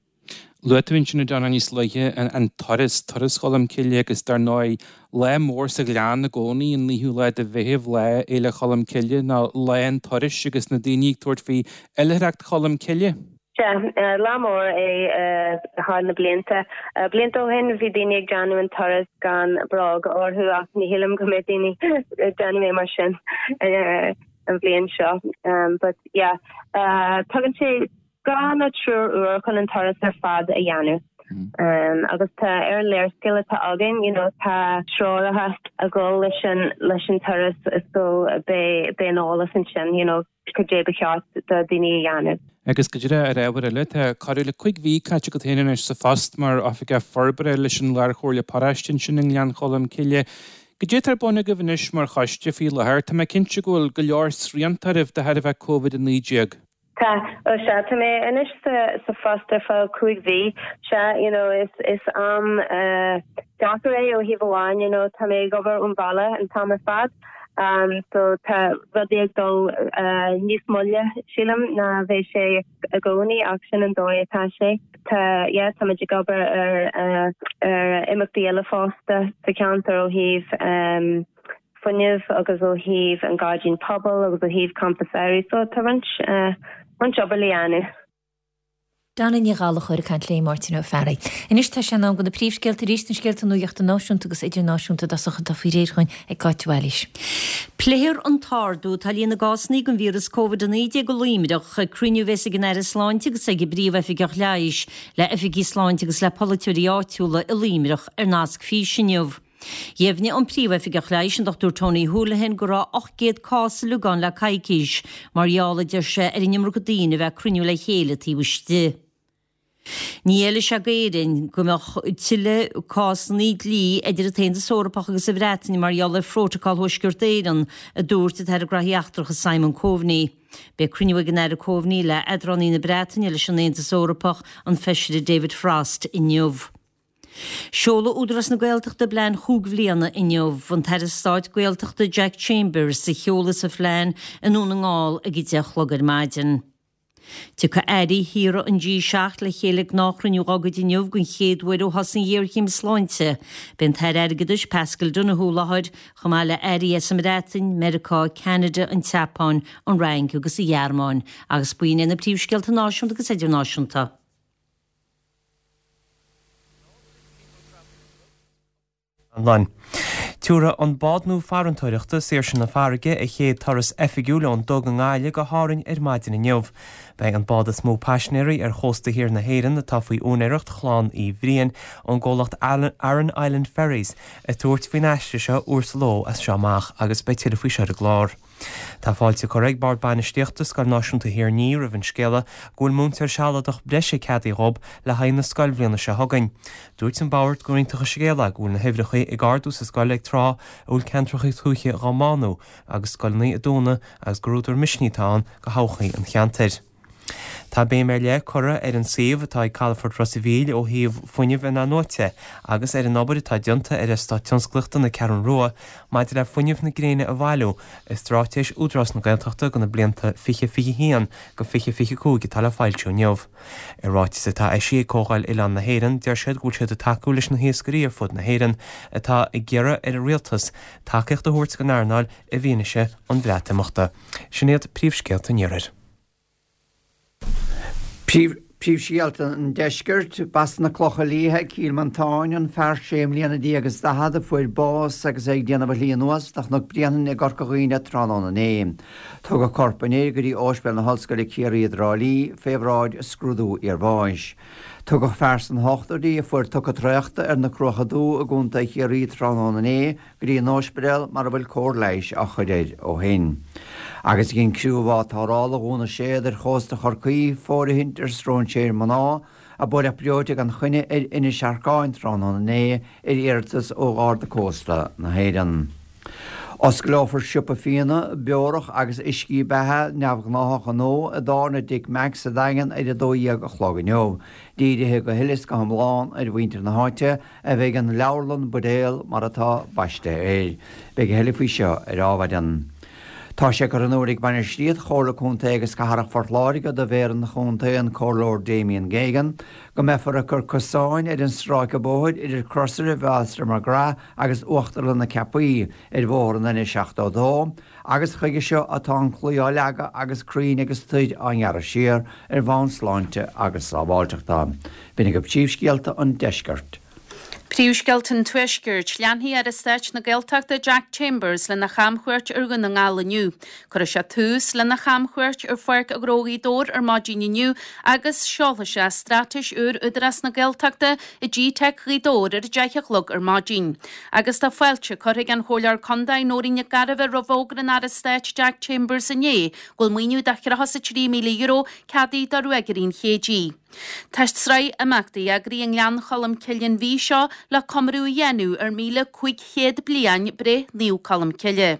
Luaigh tú ansin a Donna níos luaithe an turas, turas Cholm Cille agus dar ndóigh lá mór sa Ghleann i gcónaí an 9ú lá de Mheitheamh, lá Fhéile Cholm Cille nó lá an turais agus na daoine ag tabhairt faoi oilithreacht Cholm Cille. Sea, lá mór é thar na blianta. Blianta ó shin bhí daoine ag déanamh an turas gan bróga orthu ach ní shílim go mbeidh daoine ag déanamh é mar sin an bhliain seo. But yeah, tugann sé dhá nó triúr uair chun an turas ar fad a dhéanamh. Agus tá ar an léarscáil atá againn, you know, tá treoracha ag dul leis an leis an turas so beidh beidh an eolas ansin, you know, cad é ba cheart do daoine a dhéanamh. Agus go díreach ar ábhar eile, tá corradh le 5 mhí caite agat féin anois sa phost mar Oifigeach Forbartha leis an Lárchomhairle Paróiste ansin i nGleann Cholm Cille. Cad é atá ar bun agaibh anois mar choiste faoi láthair? Tá mé cinnte go bhfuil go leor srianta oraibh de thairbhe Covid-19. Tá, ó sea, tá mé anois sa phost ar feadh 5 mhí. Sea, you know, is is am deacair é ó thaobh amháin, you know, tá mé ag obair ón bhaile an t-am ar fad. So tá rudaí ag dul níos moille, sílim, ná bheadh sé i gcónaí ach sin an dóigh atá sé. Tá, yeah, tá muid ag obair ar ar imeachtaí eile fosta sa cheantar ó thaobh fuinnimh agus ó thaobh an gairdín pobail agus ó thaobh campa samhraidh so tá roinnt roinnt obair le dhéanamh. Donna Ní Ghallchóir ag caint le Máirtín Ó Fearraigh. Anois tá sé in am do na príomhscéalta arís, na scéalta nuachta náisiúnta agus idirnáisiúnta i dtosach atá faoi réir chugainn ag Cáit de Bhailís. Pléifear an t-ardú atá ar líon na gcásanna den víreas Covid-19 i Luimneach ag cruinniú a bheas ag an Aire Sláinte agus ag an bPríomh-Oifigeach Leighis le oifigigh sláinte agus le polaiteoirí áitiúla i Luimneach ar nasc físe inniu. Dheimhnigh an Príomh-Oifigeach Leighis, an Dr Tony Holohan, go raibh 800 cás uilig ann le coicís, mar gheall, a deir sé, ar an iomarca daoine a bheith ag cruinniú le chéile taobh istigh. Ní fheilfidh sé d'Éirinn go mbeadh tuilleadh cásanna dlí idir an tAontas Eorpach agus an Bhreatain mar gheall ar Phrótacal Thuaisceart Éireann, a dúirt an tAire Graithí Eachtracha Simon Coveney. Beidh cruinniú ag an Aire Coveney le eadránaí na Breataine leis an Aontas Eorpach, an Feisire David Frost, inniu. Seolfaidh Údarás na Gaeltachta a bplean chúig bhliana inniu. An tAire Stáit Gaeltachta Jack Chambers a sheolfas an phlean i nDún na nGall ag 10 a chlog ar maidin. Tiocfaidh airí thíortha an G7 le chéile ag gnáthchruinniú dá gcuid inniu den chéad uair ó thosaigh an ghéarchéim sláinte. Beidh an tAire Airgeadais Paschal Donohoe i láthair, chomh maith le airí as an mBreatain, Meiriceá, Ceanada, an tSeapáin, an Fhrainc agus an Ghearmáin. Agus b'in iad na príomhscéalta náisiúnta agus idirnáisiúnta. Anlann. Tabharfaidh an bád nua farantóireachta, Saoirse na Farraige, a chéad turas oifigiúil ón Duga i nGaillimh go hÁrainn ar maidin inniu. Beidh an bád is mó paisinéirí ar chósta thiar na hÉireann, atá faoi úinéireacht chlann Uí Bhriain ón gcomhlacht Aran Island Ferries, ag tabhairt faoin aistear seo uair sa ló as seo amach agus beidh tuilleadh faoi seo ar an gclár. Tá fáilte curtha ag Bord Bainistíochta Scoil Náisiúnta Thír an Fhia roimh an scéala go bhfuil múinteoir sealadach breise ceadaithe dhób le haghaidh na scoilbhliana seo chugainn. Dúirt an Bord gur iontach an scéal é go bhfuil na huimhreacha ag ardú sa scoil ag tráth a bhfuil ceantracha tuaithe dhá mbánú agus scoileanna ag dúnadh agus gur údar misnigh atá ann do thodhchaí an cheantair. Tá béim ar leith curtha ar an suíomh atá ag Calafort Ros a' Mhíl ó thaobh fuinneamh in-athnuaite agus ar an obair atá déanta ar Eastát Tionsclaíochta na Ceathrún Rua maidir le fuinneamh na gréine a bhailiú i Straitéis Údarás na Gaeltachta do na blianta 2021-2025 atá le foilsiú inniu. I ráiteas atá eisithe ag Comhdháil Oileán na hÉireann, deir siad go bhfuil siad ag tacú leis na hiascairí ar fud na hÉireann atá ag iarraidh ar an rialtas tacaíocht a thabhairt don earnáil i bhfianaise an Bhreatimeachta. Sin iad príomhscéalta an Iarthair. Príomhscéalta an Deiscirt, B'as na Clocha Liatha, Cill Mhantáin, an fear sé mbliana déag is daichead a fuair bás agus é ag déanamh a shlí anuas de Chnoc Bréanainn i gCorca Dhuibhne tráthnóna inné. Tugadh corp an fhir go dtí Ospidéal na hOllscoile Ciarraí i dTrá Lí fé bhráid scrúdú iarbháis. Tugadh fear sna hochtóidí a fuair tocadh traochta ar na Cruacha Dubha i gContae Chiarraí tráthnóna inné go dtí an óispidéal mar a bhfuil cóir leighis á chur air ó shin. Agus dhein criú bhád tarrthála Dhún na Séad ar chósta Chorcaí fóirithint ar stróinséir mná a buaileadh breoite gan choinne ar Inis Earcáin tráthnóna inné ar iarratas ó Gharda Cósta na hÉireann. Osclófar siopa fíona, beorach agus uiscí beatha neamhghnáthacha nua i dtábhairne Dick Mack's sa Daingean ar 12 a chlog inniu. Dírithe go huile is go hiomlán ar mhuintir na háite, a bheidh an leabharlann buidéal mar atá baiste air. Beidh a thuilleadh faoi seo ar Adhmhaidin. Tá sé curtha in iúl ag bainistíocht Chomhairle Contae agus Cathrach Phort Láirge do Mhéara an Chontae, an Comhairleoir Damien Geoghegan, go mbeifear ag cur cosáin ar an stráice bóthair idir Crosaire Bhéal McGrath agus Uachtarlann na Ceapaí ar bhóthar an N72 agus chuige seo atá an claí á leagadh agus crainn agus toir á ngearradh siar ar bhonn sláinte agus sábháilteachta. B'in agaibh príomhscéalta an deiscirt. Príomhscéalta an Tuaiscirt. Leanfaidh Aire Stáit na Gaeltachta Jack Chambers lena chamchuairt ar Dhún na nGall inniu. Cuirfidh sé tús lena chamchuairt ar Pháirc Ghnó Ghaoth Dobhair ar maidin inniu agus seolfaidh sé Straitéis úr Údarás na Gaeltachta i GTeic Ghaoth Dobhair ar a 10 a chlog ar maidin. Agus tá fáilte curtha ag an Chomhairleoir Contae Nóirín Nic Gairbheith roimh fhógra an Aire Stáit Jack Chambers inné go bhfuil maoiniú de €33,000 ceadaithe do Ruagairí an Chéididh. Tá sraith imeachtaí eagraithe i nGleann Cholm Cille an mhí seo le comóradh a dhéanamh ar 1,500 bliain breith Naomh Colm Cille.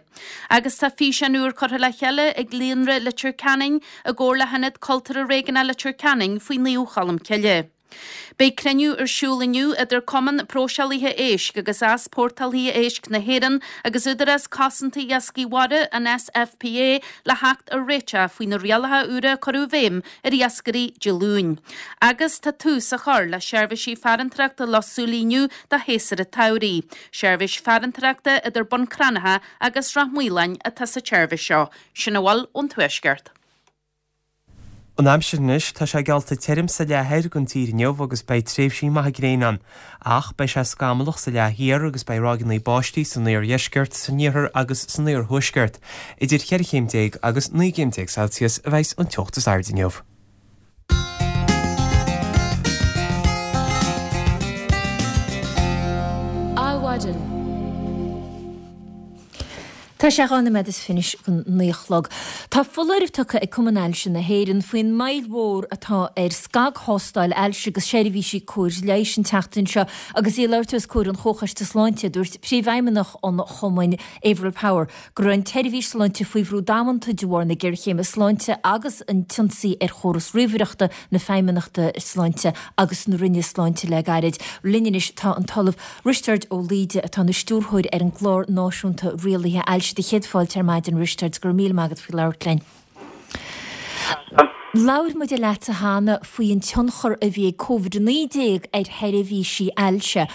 Agus tá físeán úr curtha le chéile ag Líonra Leitir Ceanainn i gcomhar le hIonad Cultúrtha Réigiúnach Leitir Ceanainn faoi Naomh Cholm Cille. Beidh cruinniú ar siúl inniu idir Cumann Próiseálaithe Éisc agus Easpórtálaithe Éisc na hÉireann agus Údarás Cosanta Iascaigh Mhara, an SFPA, le theacht ar réiteach faoi na rialacha úra a cuireadh i bhfeidhm ar iascairí Dé Luain. Agus tá tús á chur le seirbhísí farantóireachta Loch Súilí inniu do shéasúr an tsamhraidh. Seirbhís farantóireachta idir Bun Cranncha agus Ráth Maoláin atá sa tseirbhís seo. Sin a bhfuil ón Tuaisceart. An aimsir anois, tá sé geallta tirim sa leath thoir den tír inniu agus beidh tréimhsí maithe gréine ann. Ach beidh sé scamallach sa leath thiar agus beidh ráigeanna báistí san iardheisceart, san iarthar agus san iarthuaisceart. Idir cheithre chéim déag agus 19 gcéim Celsius a bheidhs an teocht is airde inniu. Adhmhaidin. Tá sé 2 noiméad is fiche don 9 a chlog. Tá foláireamh tugtha ag Cumann Ailse na hÉireann faoin moill mhór atá ar scagthástáil ailse agus seirbhísí cóir leighis an tseachtain seo. Agus í ag labhairt os comhair an Chomhchoiste Sláinte, dúirt Príomhfheidhmeannach an Chumainn, Averil Power, go raibh an tseirbhís sláinte faoi bhrú damanta de bharr na géarchéime sláinte agus an t-ionsaí ar chóras ríomhaireachta na Feidhmeannachta Sláinte agus na Roinne Sláinte le gairid. Linn anois tá an tOllamh Risteard Ó Laoide atá ina stiúrthóir ar an gClár Náisiúnta Rialaithe Ailse. Do chéad fáilte ar maidin, Risteard. Go raibh míle maith agat faoi labhairt linn. Labhair muide leatsa cheana faoi an tionchar a bhí ag Covid-19 ar sheirbhísí ailse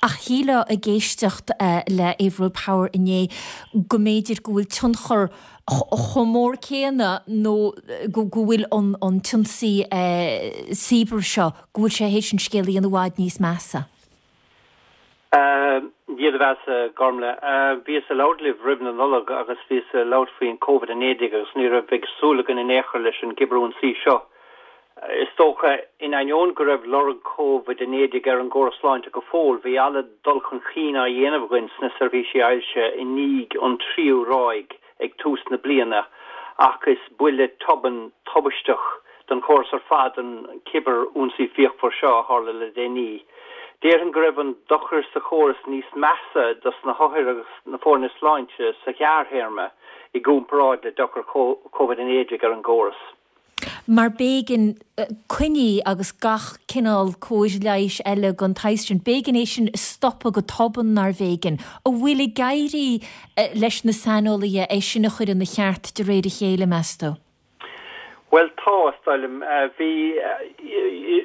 ach shílfeá ag éisteacht le Averil Power inné go mb'fhéidir go bhfuil tionchar chomh mór céanna nó go bhfuil an t-ionsaí cibear seo, go bhfuil sé théis an scéal a dhéanamh i bhfad níos measa. Dia do bheatha, Gormlaith. Bhíos ag labhairt libh roimh na Nollag agus bhíos ag labhairt faoin Covid-19 agus ní raibh ag súil againn in aon chor leis an gcibirionsaí seo. Is dócha, in ainneoin go raibh lorg Covid-19 ar an gcóras sláinte go fóill, bhí an-dul chun cinn á dhéanamh againn sna seirbhísí ailse i ndiaidh an tríú ráig ag tús na bliana ach is buille tobann tubaisteach don chóras ar fad an cibir-ionsaí fíochmhar seo a tharla le déanaí. Déarfainn go raibh an dochar sa chóras níos measa dos na hothair agus na foirne sláinte sa ghearrthéarma i gcomparáid le dochar Covid-19 ar an gcóras. Mar b'éigean coinní agus gach cineál cóir leighis eile den tsaghas sin, b'éigean é sin a stopadh go tobann, nárbh éigean? An bhfuil ag éirí leis na saineolaithe é sin a chur ina cheart de réir a chéile, meas tú? Bhuel, tá, is dóigh liom. Bhí,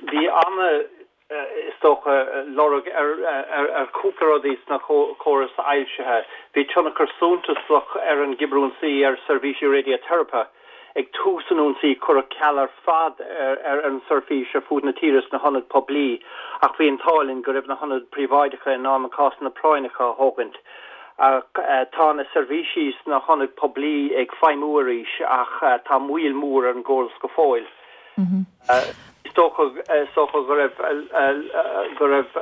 bhí ana, is dócha, lorg ar, ar, ar chúpla rudaí sna córais ailsithe. Bhí tionchar suntasach ar an gcibirionsaí ar seirbhísí raidiateiripe. Ag tús an ionsaí cuireadh ceal ar fad ar, ar an seirbhís ar fud na tíre sna hionaid poiblí ach bhí an t-ádh linn go raibh na hionaid príobháideacha in ann na cásanna práinneacha a thógaint. Ach tá na seirbhísí sna hionaid poiblí ag feidhmiú arís ach tá moill mhór ar an gcóras go fóill. Is dócha is dócha go raibh go raibh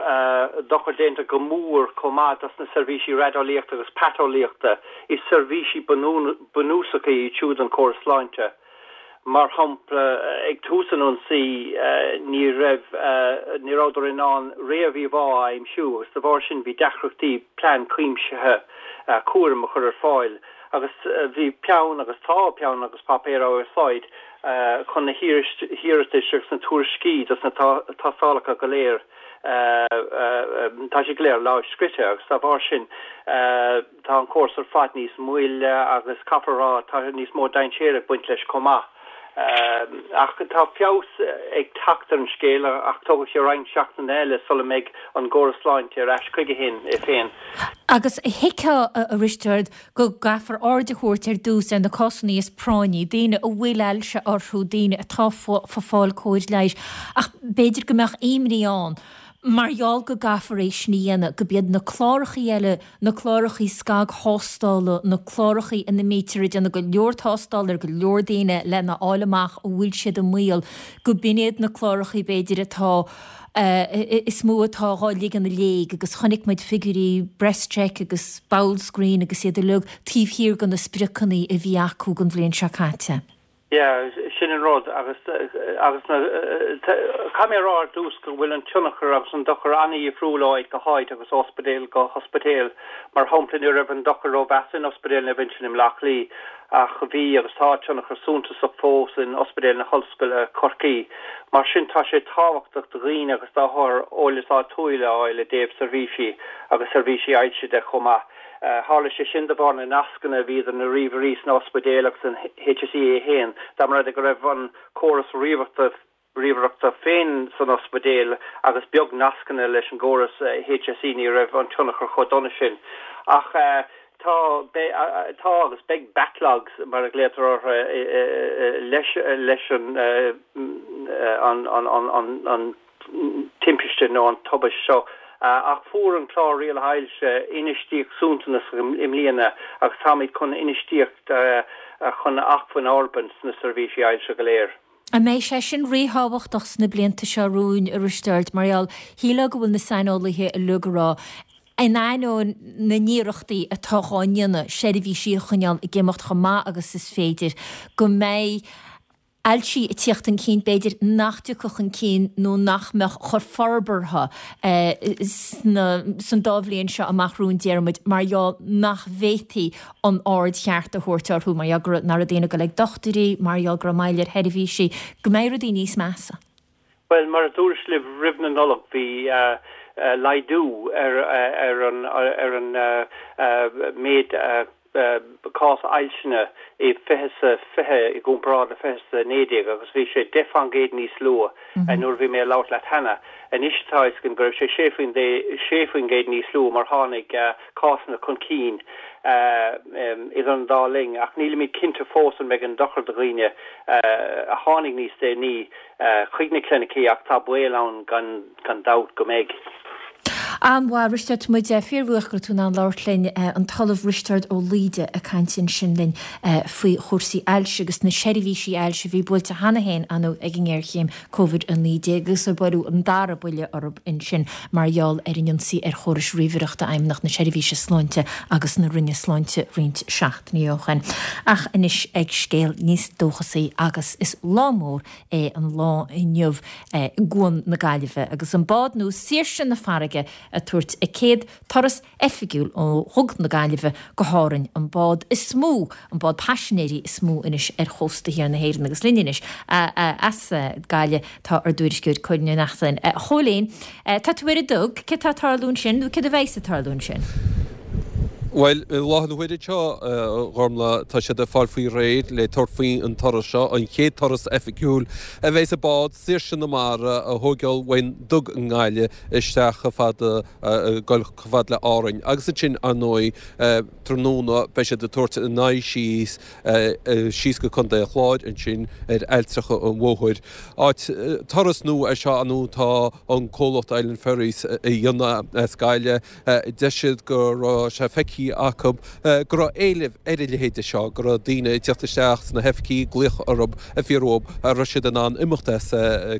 dochar déanta go mór chomh maith dos na seirbhísí raideolaíochta agus paiteolaíochta. Is seirbhísí bunúsacha iad siúd don chóras sláinte. Mar shampla, ag tús an ionsaí, ní raibh, ní rabhadar in ann réamh-íomhá a aimsiú agus de bharr sin bhí deacrachtaí plean cuimsithe cúraim a chur ar fáil agus bhí peann agus tá peann agus páipéar á úsáid chun na hiarratais agus na tuairiscí dos na tástálacha go léir, tá siad go léir lámhscrite agus dá bharr sin. Tá an córas ar fad níos moille agus caithfear a rá tá níos mó dainséir ag baint leis chomh maith. Ach tá feabhas ag teacht ar an scéal ach tógfaidh sé roinnt seachtainí eile sula mbeidh an gcóras sláinte ar ais chuige féin. Agus thuigfeá, a Risteaird, go gcaithfear aird a thabhairt ar dtús ar na cásanna is práinní, daoine a bhfuil ailse orthu, daoine atá ag fáil cóir leighis, ach b'fhéidir go mbeadh imní ann Mar gheall go gcaithfear é sin a dhéanamh, go b'iad na clárachaí eile, na clárachaí scagthástála, na clárachaí ina mbítear ag déanamh go leor tástála ar go leor daoine lena fháil amach an bhfuil siad i mbaol, go b'in iad na clárachaí b'fhéidir atá, is mó atá dhá ligean i léig agus chonaic muid figiúirí BreastCheck agus BowelScreen agus iad uilig taobh thiar de na spriocanna a bhí acu don bhliain seo caite. Yeah, sin an rud agus agus na caithfidh mé a rá ar dtús go bhfuil an tionchar agus an dochar an-dhifriúil ó áit go háit agus ó ospidéal go hospidéal. Mar shampla, ní raibh an dochar rómheasa in Ospidéal Naomh Uinseann i mBleá Cliath ach bhí agus tá tionchar suntasach fós in Ospidéal na hOllscoile, Corcaigh. Mar sin tá sé tábhachtach do dhaoine agus d'othair eolas áitiúil a fháil i dtaobh seirbhísí agus seirbhísí ailse de chomh maith. Tharla sé sin de bharr na nascanna a bhí idir na ríomhairí sna ospidéil agus an HSE é féin. Dá mba rud é go raibh an córas ríomhaireachta féin san ospidéal agus beag nascanna leis an gcóras HSE ní raibh an tionchar chomh dona sin. Ach. Tá, beidh, tá agus beidh backlogs, mar a ghlaotar orthu, leis, leis an, an, an, an, an timpiste nó an tubaist seo. Ach fuair an Clár Rialaithe Ailse infheistíocht suntasach i mbliana agus táimid chun infheistíocht chun acmhainn a fhorbairt sna seirbhísí ailse go léir. An mbeidh sé sin ríthábhachtach sna blianta seo romhainn, a Risteaird, mar gheall, shílfeá go bhfuil na saineolaithe uilig ag rá, in ainneoin na n-iarrachtaí atá dhá ndéanamh seirbhísí a choinneáil ag imeacht chomh maith agus is féidir, go mbeidh ailsí ag tíocht chun cinn, b'fhéidir, nach dtiocfadh chun cinn nó nach mbeadh chomh forbartha sna, san dá bhliain seo amach romhainn, déarfaidh muid, mar gheall nach bhféadfaí an aird cheart a thabhairt orthu mar gheall go raibh, nach raibh daoine ag dul ag dochtúirí, mar gheall go raibh moill ar sheirbhísí, go mbeidh rudaí níos measa. Bhuel, mar a dúras libh roimh na Nollag, bhí laghdú ar ar an ar an méid cás ailseanna i 20 is 20 i gcomparáid le 20 is 19 agus bhí sé 10 fán gcéad níos lú nuair a bhí mé ag labhairt leat cheana. Anois tá a fhios againn go raibh sé 6% níos lú mar tháinig cásanna chun cinn idir an dá linn, ach nílimid cinnte fós an mbeidh an dochar do dhaoine a tháinig níos déanaí chuig na clinicí ach tá baol ann gan dabht go mbeidh. An-mhaith, Risteard, tá muid fíorbhuíoch go raibh tú in ann labhairt linn. An tOllamh Risteard Ó Laoide ag caint ansin linn faoi chúrsaí ailse agus na seirbhísí ailse a bhí buailte cheana féin ar ndóigh ag an ngéarchéim Covid-19 agus ar buaileadh an dara buille orthu ansin mar gheall ar an ionsaí ar chórais ríomhaireachta Fheidhmeannacht na Seirbhíse Sláinte agus na Roinne Sláinte roinnt seachtainí ó shin. Ach anois ag scéal níos dóchasaí agus is lá mór é an lá inniu i gCuan na Gaillimhe agus an bád nua Saoirse na Farraige ag tabhairt a céad turas oifigiúil ó Dhuga na Gaillimhe go hÁrainn, an bád is mó, an bád paisinéirí is mó anois ar chósta thiar na hÉireann agus linn anois as Gaillimh tá ár dtuairisceoir Cóilín Ó Neachtain. A Chóilín, tá tú ar an dug, céard tá ag tarlú ansin nó céard a bheas ag tarlú ansin? Bhuel, i láthair na huaire seo, a Ghormlaith, tá siad ag fáil faoi réir le tabhairt faoi an turas seo, an chéad turas oifigiúil a bheas an bád Saoirse na Mara a thóigeáil ón dug i nGaillimh isteach chomh fada ag dul chomh fada le Árainn agus ansin, ar ndóigh, tráthnóna beidh siad ag tabhairt a n-aghaidh síos, síos go Contae an Chláir ansin ar Ailltreacha an Mhóthair. Áit, turas nua é seo, ar ndóigh, tá an comhlacht Island Ferries a dhéanamh as Gaillimh. Deir siad go raibh sé feicthe acu go raibh éileamh ar a leithéide seo, go raibh daoine ag teacht isteach sna hoifigí, ag glaoch orthu ag fiafraí dhóibh an raibh siad in ann imeacht as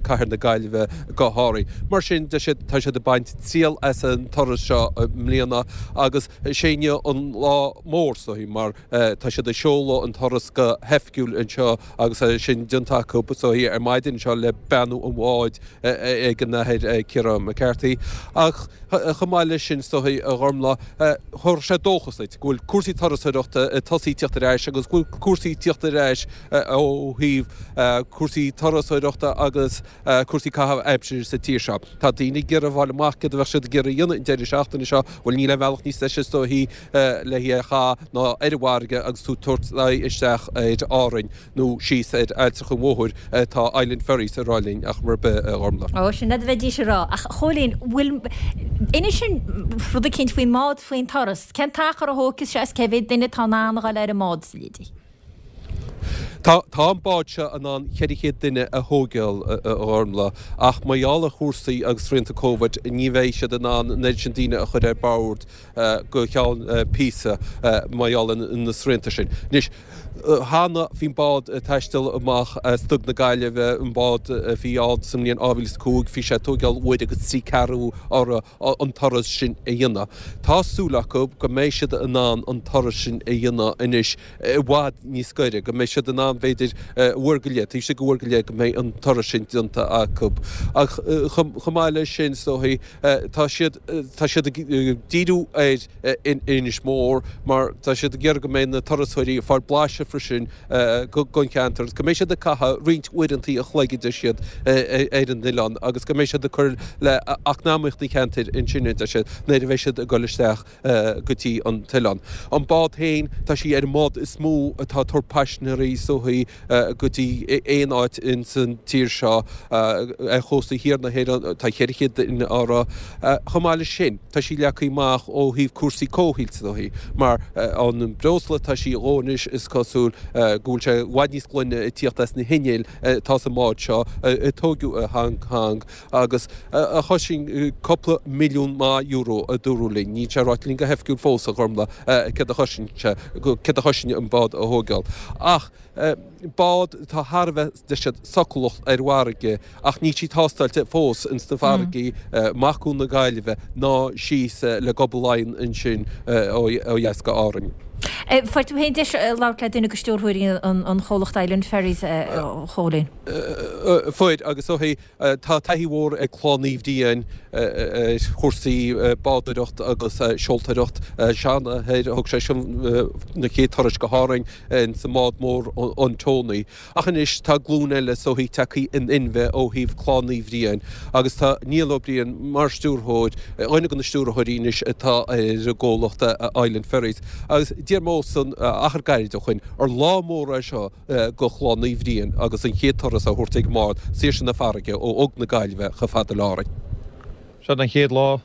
cathair na Gaillimhe go hÁrainn. Mar sin, deir siad, tá siad ag baint triail as an turas seo i mbliana agus is é inniu an lá mór is dóichí mar tá siad ag seoladh an turas go hoifigiúil anseo agus é sin déanta acu is dóichí ar maidin anseo le beannú an bháid ag an Athair Ciarán McCarthy. Ach chomh maith leis sin, is dóichí, a Ghormlaith, thabharfadh sé dóchas duit go bhfuil cúrsaí turasóireachta ag tosaí tíocht ar ais agus go bhfuil cúrsaí tíocht ar ais ó thaobh cúrsaí turasóireachta agus cúrsaí caitheamh aimsire sa tír seo. Tá daoine ag iarraidh fáil amach céard a bheadh siad ag iarraidh a dhéanamh an deireadh seachtaine seo. Bhuel, níl aon bhealach níos deise is dóichí le é a chaitheamh ná ar an bhfarraige agus tú ag tabhairt aghaidh isteach ar Árainn. nó síos ar Ailltreach an Mhóthair atá Island Ferries ag rá linn ach mar bith, a Ghormlaith. Ó, sin rud a bheidís ag rá. Ach, a Chóilín, bhfuil, inis dúinn rud eicínt faoin mbád, faoin turas. Cén t-achar a thógfas sé is cé mhéad duine atá in ann a dhul ar an mbád, sa leidí? Tá, tá an bád seo in ann 400 duine a thóigeáil, a Ghormlaith, ach mar gheall ar chúrsaí agus srianta Covid, ní bheidh siad in ann an oiread sin daoine a chur ar bord go ceann píosa mar gheall ar na srianta sin. Anois, Cheana bhí an bád ag taisteal amach as Duga na Gaillimhe, an bád a bhí ann sa mbliain 2005, bhí sé ag tóigeáil uair agus trí ceathrú orthu an turas sin a dhéanamh. Tá súil acu go mbeidh siad in ann an turas sin a dhéanamh anois i bhfad níos gaire, go mbeidh siad in ann b'fhéidir uair go leith, taobh istigh de uair go leith go mbeidh an turas sin déanta acu. Ach chomh maith leis sin, is dóichí, tá siad, tá siad ag díriú ar in Inis Mór mar tá siad ag iarraidh go mbeidh na turasóirí ag fáil blaiseadh freisin den cheantar agus go mbeidh siad ag caitheamh roinnt uaireanta a chloig a deir siad ar an oileán agus go mbeidh siad ag cur le eacnamaíocht an cheantair ansin a deir siad nuair a bheidh siad ag dul isteach go dtí an t-oileán. An bád féin, tá sí ar an mbád is mó atá ag tabhairt paisinéirí so. dóichí, go dtí aon áit ins an tír seo ar chósta thiar na hÉireann, tá 400 duine uirthi. Chomh maith leis sin, tá sí leagtha amach ó thaobh cúrsaí comhshaoil is dóichí, mar an breosla atá sí a dhó anois is cosúil go bhfuil sé i bhfad níos glaine ag tíocht as na hinnill atá sa mbád seo a tóigeadh i Hong Kong agus a chosain cúpla milliún maith euro a dúradh linn. Níl sé ráite linn go hoifigiúil fós, a Ghormlaith, céard a chosain sé, céard a chosain an bád a thóigeáil. Ach bád atá thar a bheith, deir siad, socalach ar an bhfarraige ach níl sí tástáilte fós ins na farraigí amach Cuan na Gaillimhe ná síos le Gob Laighean ansin ó dheas go Árainn. Fuair tú féin deis labhairt le duine de stiúrthóirí an chomhlacht Island Ferries, a Chóilín. Fuair, agus ó thaobh Tá taithí mhór ag Clann Uí Bhriain ar chúrsaí bádóireacht agus seoltóireacht. Seanathair, thug sé sin na chéad turais go hÁrainn ins an mbád mór an Tony. Ach anois tá glúin eile is dóichí tagtha in inmhe ó thaobh Clann Uí Bhriain agus tá Niall Ó Briain mar stiúrthóir, dhuine de na stiúrthóirí anois atá ar an gcomhlacht Island Ferries. Agus d'iarr mé orthusan achar gairid ó shoin ar lá mór é seo go Chlann Uí Bhriain agus an chéad turas á thabhairt ag an mbád Saoirse na Farraige ó Fhog na Gaillimhe chomh fada le Árainn. Seo an chéad lá.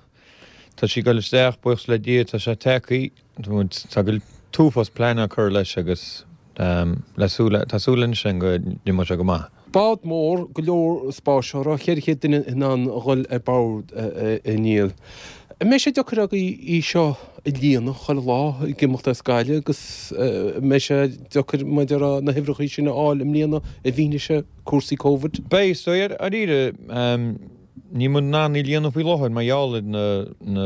Tá sí ag dul isteach, buíochas le Dia, tá sé tagtha. Tá go t-uafás plean á cur leis agus le súil, tá súil anois againn go n-imeoidh sé go maith. Bád mór, go leor spáis uirthi, 400 duine in ann a dhul ar bord, a Niall. An mbeidh sé deacair agaibh í seo a líonadh chuile lá ag imeacht as Gaillimh agus an mbeidh sé deacair mar a déarfá na huimhreacha sin a fháil i mbliana i bhfianaise cúrsaí Covid? Beidh, is dóigh, dáiríre. Níl muid in ann í líonadh faoi láthair mar gheall ar na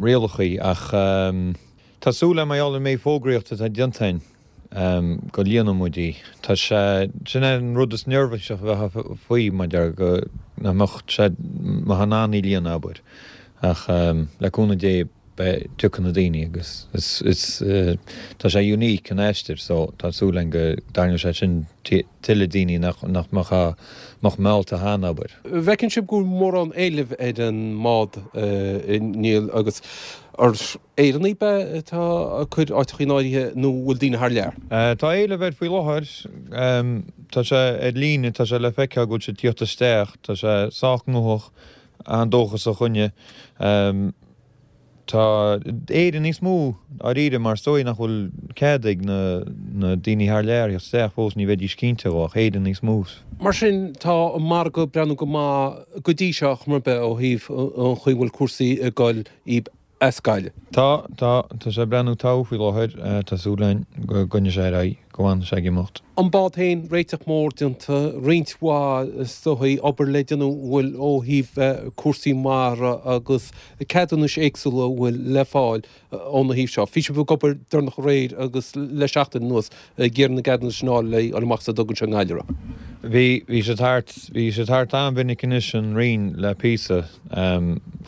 rialachaí ach tá súil agam mar gheall ar an méid fógraíochta atá déanta againn go líonfaidh muid í. Tá sé, sin é an rud is neirbhíseach a bheifeá faoi, mar deir go nach mbeadh sé, mbeifeá in ann í líonadh, abair. Ach le cúnamh Dé beidh, tiocfaidh na daoine agus is, is, tá sé unique an aistear so tá súil againn go dtarraingeoidh sé sin tuilleadh daoine nach, nach mbeadh, mbeadh meallta cheana, abair. Bhfeiceann sibh go bhfuil mórán éilimh ar an mbád, a Niall, agus ar Éireannaigh ab ea atá ag cur áiteacha in áirithe nó an bhfuil daoine thar lear? Tá éileamh air faoi láthair. Tá sé ar líne, tá sé le feiceáil go bhfuil sé ag tíocht isteach. Tá sé sách gnóthach, an-dóchasach againne. Tá Éireannaigh níos mó dáiríre mar is dóigh nach bhfuil cead ag na daoine thar lear theacht isteach fós, ní bheidís cinnte dhó, ach Éireannaigh níos mó. Mar sin, tá an margadh ag breathnú go maith go dtí seo, chuma ar bith, ó thaobh an chaoi a bhfuil cúrsaí ag dul as Gaillimh. Tá, tá, tá sé ag breathnú togha faoi láthair, tá súil againn go gcoinneoidh sé ar aghaidh, go bhfanfaidh sé ag imeacht. An bád féin, réiteach mór déanta, roinnt mhaith, is dóigh, obair le déanamh an bhfuil ó thaobh cúrsaí mara agus ceadúnais éagsúla a bhfuil le fáil óna thaobh seo. Bhí sibh ag obair deireanach aréir agus le seachtain anuas ag iarraidh na gceadúnas sin a fháil le dhul amach sa dugan seo i nGaillimh. Bhí, bhí sé thart, bhí sé thart an-mhinic anois an Roinn le píosa.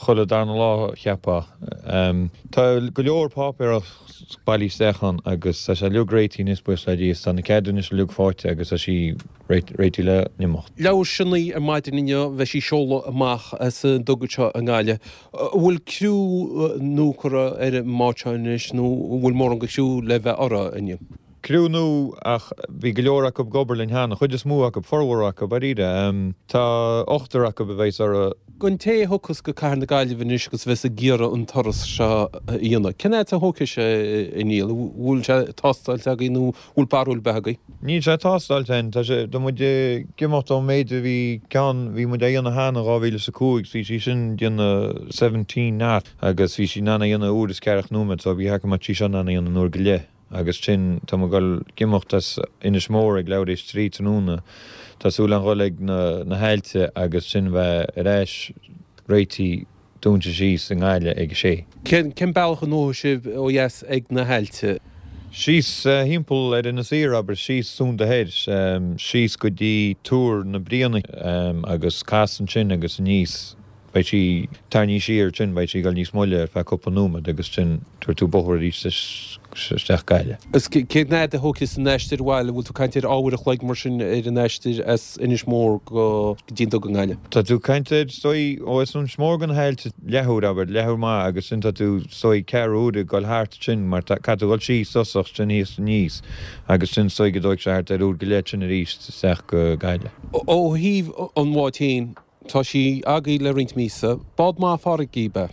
Chuile darna lá, cheapfá. Tá go leor páipéarachas bailithe isteach ann agus tá sé uilig réitithe anois, buíochas le Dia. Tá na ceadúnais uilig faighte agus tá sí réitithe le n-imeacht. Labhair sinn ar maidin inniu, bheidh sí ag seoladh amach as an duga seo i nGaillimh. An bhfuil criú nua curtha ar an mbád seo anois nó an bhfuil mórán de chriú le bheith uirthi inniu? Criú nua ach bhí go leor acu ag obair linn cheana, chuid is mó acu, formhór acu, dáiríre. Tá ochtar acu a bheas uirthi. Don té a thiocfas go Cathair na Gaillimhe anois agus a bheas ag iarraidh an turas seo a dhéanamh, cén fhad a thógfaidh sé, a Niall? An bhfuil sé tástáilte agaibh nó an bhfuil barúil ar bith agaibh? Níl sé tástáilte againn. Tá sé, tá muid ag imeacht ón méid a bhí ceann, bhí muid á dhéanamh cheana in 2005, bhí sí sin ag déanamh 17 knot agus bhí sí in ann a dhéanamh uair is ceathracha nóiméad so bhí go mbeadh sí seo in ann a dhéanamh in uair go leith. Agus sin, tá muid ag dul ag imeacht as Inis Mór ag leathuair théis 3 tráthnóna. Tá súil againn dhul ag na hAillte agus sin bheith ar ais réitithe dúnta síos i nGaillimh ag a sé. Cén bealach a ngnóthaigh sibh ó dheas ag na hAillte? Síos thimpeall ar Inis Oírr, abair, síos Sunda Thoir, síos go dtí Túr na Bríona agus cas ansin agus aníos. Beidh sí tarraingthe siar ansin, beidh sí ag dul níos moille ar feadh cúpla nóiméad agus ansin tabharfaidh tú bóthar arís. isteach Gaillimh. Is cén fhad a thógfas an aistear abhaile, bhfuil tú ag caint ar uair a chloig mar sin ar an aistear as Inis Mór go dtí an Dugan i nGaillimh? Tá tú ag caint ar, is dóigh, ó as Inis Mór go na hAillte leathuair, abair, leathuair maith agus sin tá tú, is dóigh, ceathrú uaire ag dul thart sin mar tá, caithfidh tú dul síos tosach sin thíos aníos agus sin is dóigh go dtóigfidh sé thart ar uair go leith sin arís isteach go Gaillimh. Ó thaobh an bháid féin, Tá sí agaibh le roinnt míosa. Bád maith farraige í, ab ea?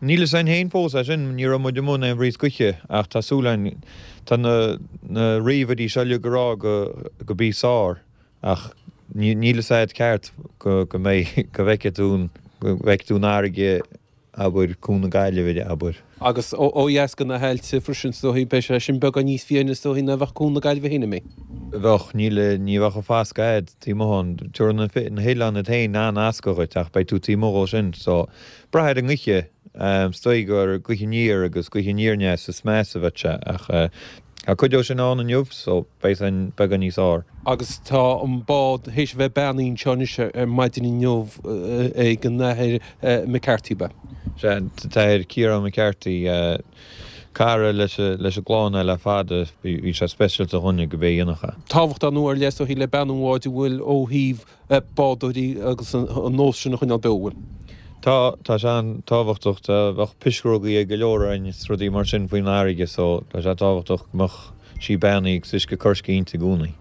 Níl fhios a'inn féin fós é sin, ní raibh muid amuigh in aon bhrí istoíche ach tá súil a'inn, tá na na ríomhairí seo uilig ag rá go go bí sár ach ní níl fhios a'd ceart go go mbeidh go bhfeicfidh tú an go bhfeicfidh tú an fharraige abair, Cuan na Gaillimhe, abair. Agus ó dheas de na hAillte freisin, is dóichí, beidh sé sin beagán níos fiáine, is dóichí, ná bheadh Cuan na Gaillimhe féin, an mbeidh? Bheadh, níl, ní bheadh an fascadh a'd taobh amuigh ann. Tabharfaidh na hoileáin iad féin an-fhascadh dhuit ach beidh tú taobh amuigh dhó sin. So, brath ar an ngaoithe, is dóigh gur gaoth aniar agus gaoth aniar aneas is measa a bheadh sé ach tá cuid dhó sin ann inniu so beidh san beagán níos fhearr. Agus tá an bád théis a bheith beannaithe anseo anois ar maidin inniu ag an Athair McCarthy, ab ea? Sea, an tAthair Ciarán McCarthy, cara leis an gclann é le fada, bhí sé speisialta dhúinne go b'é a dhéanfadh é. Tábhacht ar ndóigh ar leith is dóichí le beannú an bháid an bhfuil ó thaobh bádóirí agus an nós sin a choinneáil beo, an bhfuil? Tá, tá sé an-tábhachtach. Tá, bheadh pisreogaí ag go leor againn is rudaí mar sin faoin fharraige so tá sé tábhachtach go mbeadh sí beannaithe agus uisce coirce inti i gcónaí.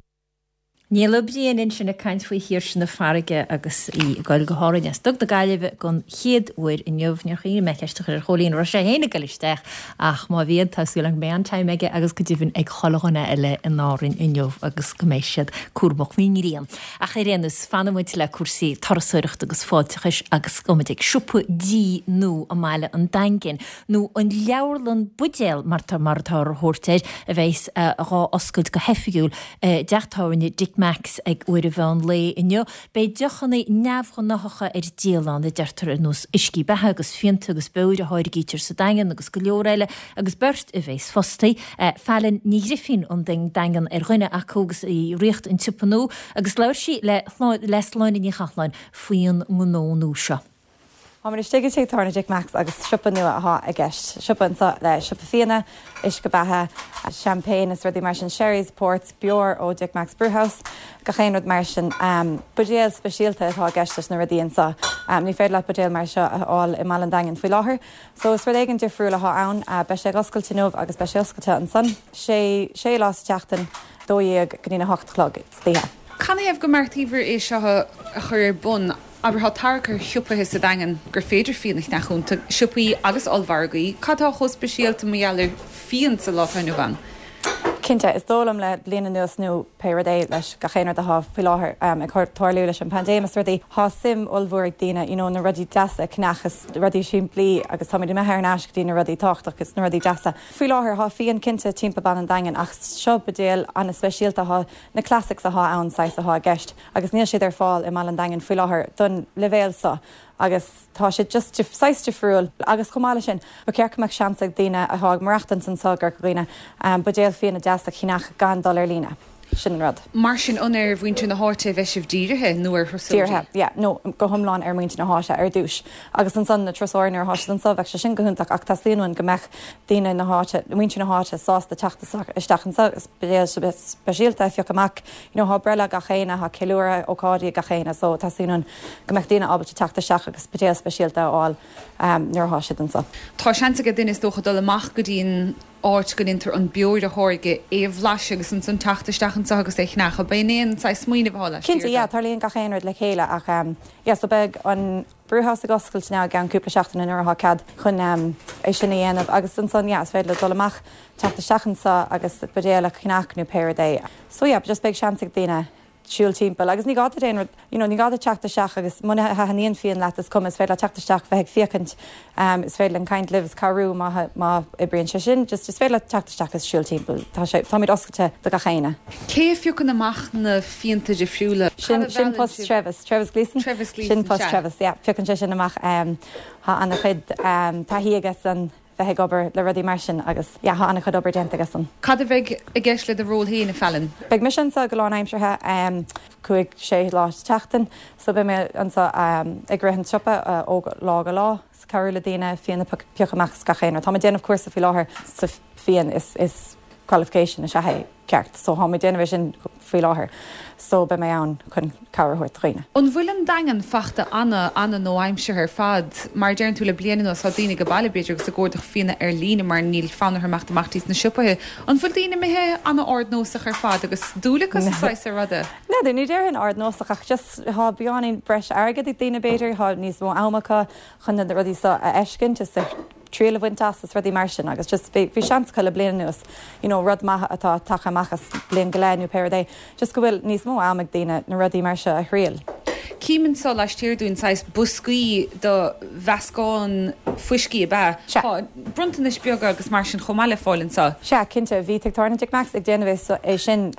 Niall Ó Briain ansin ag caint faoi Shaoirse na Farraige agus í ag goil go hÁrainn as Dug na Gaillimhe don chéad uair inniu. Níor chuimhnigh mé ceist a chur ar Chóilín an raibh sé féin ag goil isteach ach má bhíonn tá súil agam go mbeidh an-time aige agus go deimhin ag chuile dhuine eile in Árainn inniu agus go mbeidh siad cúramach faoin ngrian. Ach ar aon nós, fanfaidh muid le cúrsaí turasóireachta agus fáilteachais agus gabhfaidh muid ag siopa dí nua i mbaile an Daingin, nó an Leabharlann Buidéal mar mar atá á thabhairt air, a bheas dhá oscailt go hoifigiúil i dteach tábhairne Dick Mack's ag uair an mheán lae inniu. Beidh deochanna neamhghnáthacha ar díol ann, a deirtear, ar nós uiscí beatha agus fíonta agus beoir a tháirgítear sa Daingean agus go leor eile, agus beirt a bheas fostaithe, Fallon Ní Ghrifín ón Daingean ar dhuine acu agus í ag ríocht an tsiopa nua agus labhair sí le le Sláine Ní Chathalláin faoin ngnó nua seo. Táimid istigh i dtigh tábhairne Dick Mack's agus siopa nua athá i gceist. Siopa anseo le siopa fíona, uisce beatha, champagne is rudaí mar sin, sherries, ports, beoir ó Dick Mack's Brewhouse, gach aon rud mar sin. Buidéil speisialta atá i gceist leis na rudaí anseo. Ní féidir leat buidéal mar seo a fháil i mBaile an Daingin faoi láthair. So is rud éigin difriúil athá ann. Beidh sé ag oscailt inniu agus beidh sé oscailte ansan sé sé lá sa tseachtain, 12 go dtí'n 8 a chlog istoíche. Canathaobh go mbeartaíobhair é seo a chur ar bun? Abair, tá tarrac ar shiopaithe sa Daingean gur féidir fíon a cheannach iontu, siopaí agus ollmhargaí. Cad tá chomh speisialta mar gheall ar fíon sa lá atá inniu ann? Cinnte, is dóigh liom le bliain anuas nó pé rud é leis gach aon rud athá faoi láthair ag tarlú leis an bpaindéim is rudaí, thá suim ollmhór ag daoine you know na rudaí deasa a cheannach is rudaí simplí agus táimid imithe thar n-ais go dtí na rudaí tábhachtach is na rudaí deasa. Faoi láthair thá fíon cinnte timpeall Baile an Daingin ach seo buidéal an-speisialta thá na classics athá ann saghas athá i gceist. agus níl siad ar fáil i mBaile an Daingin faoi láthair don leibhéal seo agus tá siad just saghas difriúil agus chomh maith leis sin ba cheart go mbeadh seans ag daoine athá ag maireachtaint anseo i gCorca Dhuibhne buidéal fíona deas a cheannach gan dul ar líne. Sin an rud. Mar sin an ar mhuintir na háite a bheidh sibh dírithe nó ar thurasóirí? Dírithe, yeah, no, go hiomlán ar mhuintir na háite ar dtús agus ansan na turasóirí nuair athá siad anseo bheadh sé sin go hiontach ach teastaíonn uainn go mbeadh daoine na háite, muintir na háite sásta teacht isteach anseo agus buidéal speisialta a phiocadh amach. You know thá breithlá gach Aoine, thá ceiliúradh, ócáidí gach Aoine so teastaíonn uainn go mbeadh daoine ábalta teacht isteach agus buidéal speisialta a fháil nuair athá siad anso. Tá seans ag duine is dócha dul amach go dtí an áit go ndéantar an beoir a tháirgeadh, é a bhlaiseadh agus ansan teacht isteach anso agus é a cheannach. Ab é an saghas smaoineamh athá laistiar Cinnte, yeah, tarlaíonn gach aon rud le chéile ach yeah so beidh an brewhouse ag oscailt now i gceann cúpla seachtaine nuair athá cead chun é sin a dhéanamh agus ansan yeah is féidir leo dul amach, teacht isteach anso agus buidéal a cheannach nó pé rud é. So yeah, just beidh seans ag daoine siúl timpeall agus ní gá duit aon rud, you know, ní gá duit teacht isteach agus muna thaitníonn fíon leat is cuma, is féidir leat teacht isteach, bheith ag féachaint, is féidir linn caint libh is cabhrú má má oibríonn sé sin, just is féidir leat teacht isteach is siúl timpeall, tá sé, táimid oscailte do gach éinne. Cé a phiocann amach na fíonta difriúla? Sin, sin post Trevis, Trevis Gleeson? Trevis Gleeson, Sin post Trevis, yeah, piocann sé sin amach, tá an-chuid taithí aige san. bheith ag obair le rudaí mar sin agus yeah tá an-chuid obair déanta aigesan. Cad a bheidh i gceist le do ról féin, a Fallon? Beidh mise anseo go lánaimseartha, 5, 6 lá sa tseachtain so beidh mé anseo ag rith an tsiopa ó lá go lá, cabhrú le daoine, fíon a phiocadh amach is gach aon rud. Táim ag déanamh cúrsa faoi láthair sa. fíon is is qualification is ea é ceart so tá mé ag déanamh é sin faoi láthair so beidh mé ann chun cabhair a thabhairt do dhaoine. An bhfuil an Daingean fachta ana, ana nua-aimseartha ar fad? Mar a deireann tú le bliain anuas tá daoine ag baile b'fhéidir agus ag órdacht fíona ar líne mar níl fonn orthu imeacht amach dtí na siopaithe. An bhfuil daoine imithe ana ardnósach ar fad agus dúil acu sa saghas seo ruda? N'fheadar, ní déarfainn ardnósach ach just tá beagáinín breis airgid ag daoine b'fhéidir, tá níos mó am acu chun na rudaí seo a fheiscint is a triail a bhaint as is rudaí mar sin agus just bhí bhí seans acu le bliain anuas you know rud maith atá tagtha amach as bliain go leith nó pé rud é just go bhfuil níos mó am ag daoine na rudaí mar seo a thriail. Cím anso laistiar dúinn saghas boscaí do mheascán fuiscí ab ea? Sea. Tá bronntanais beaga agus mar sin chomh maith le fáil anso. Sea, cinnte. Bhí Tigh Tábhairne Dick Mack's ag déanamh é sin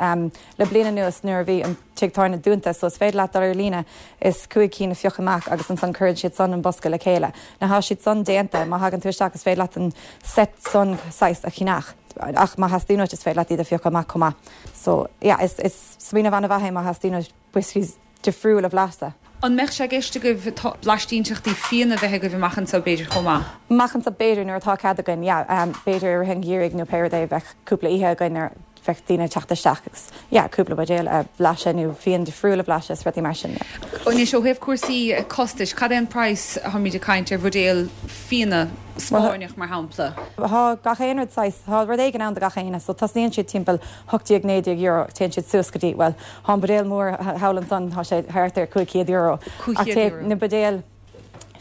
le bliain anuas nuair a bhí an tigh tábhairne dúnta so is féidir leat dul ar líne is 5 cinn a phiocadh amach agus ansan cuireann siad san an bosca le chéile. Now thá siad san déanta, má thagann tú isteach is féidir leat an set san saghas a cheannach ach má theastaíonn uait is féidir leat iad a phiocadh amach chomh maith. So yeah is is smaoineamh an-mhaith é má theastaíonn uait whiskies difriúil a bhlaiseadh. An mbeadh sé i gceist agaibh blaistínteachtaí fíona a bheith agaibh amach anseo b'fhéidir chomh maith? Amach anseo b'fhéidir nuair atá cead againn yeah b'fhéidir i rith an gheimhridh nó pé rud é bheadh cúpla oíche againn ar bheadh daoine ag teacht isteach agus yeah cúpla buidéal a bhlaiseadh nó fíon difriúil a bhlaiseadh is rudaí mar sin yeah. Anois ó thaobh cúrsaí costais, cad é an praghas atáimid ag caint ar bhuidéal fíona Spáinneach mar shampla? Thá gach aon rud saghas, thá rud éigin ann do gach éinne so tosnaíonn siad timpeall €18, €19 téann siad suas go dtí, bhuel thá an buidéal mór thall ansan thá sé thart ar €500 ach €500. na buidéil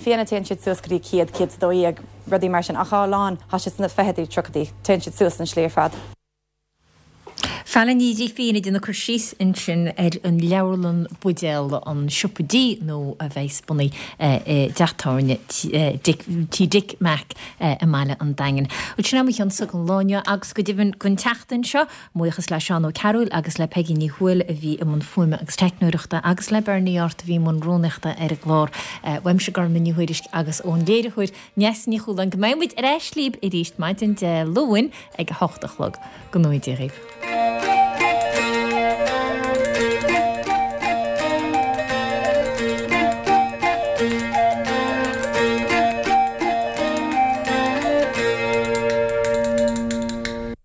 fíona téann siad suas go dtí 100, 112, rudaí mar sin ach thá a lán, thá siad sna fichidí, tríochaidí, téann siad suas an slí ar fad. Faile Ní Ghrifín ag déanamh cur síos ansin ar an leabharlann buidéal, an siopa dí nua a bheas bunaithe i dteach tábhairne Tí Dick Mack i mbaile an Daingin. Bhuel, sin é mo chionsa don lá inniu agus go deimhin don tseachtain seo. Buíochas le Seán Ó Cearúil agus le Peigí Ní Thuathail a bhí i mbun fuaime agus teicneoireachta agus le Bernie Art a bhí i mbun rúnaíochta ar an gclár. Uaimse Gormfhlaith Ní Thuairisg agus ón léiritheoir Neasa Ní Chualáin go mbeidh muid ar ais libh arís maidin Dé Luain ag a hocht a chlog. Go ngnóthaí Dia dhaoibh.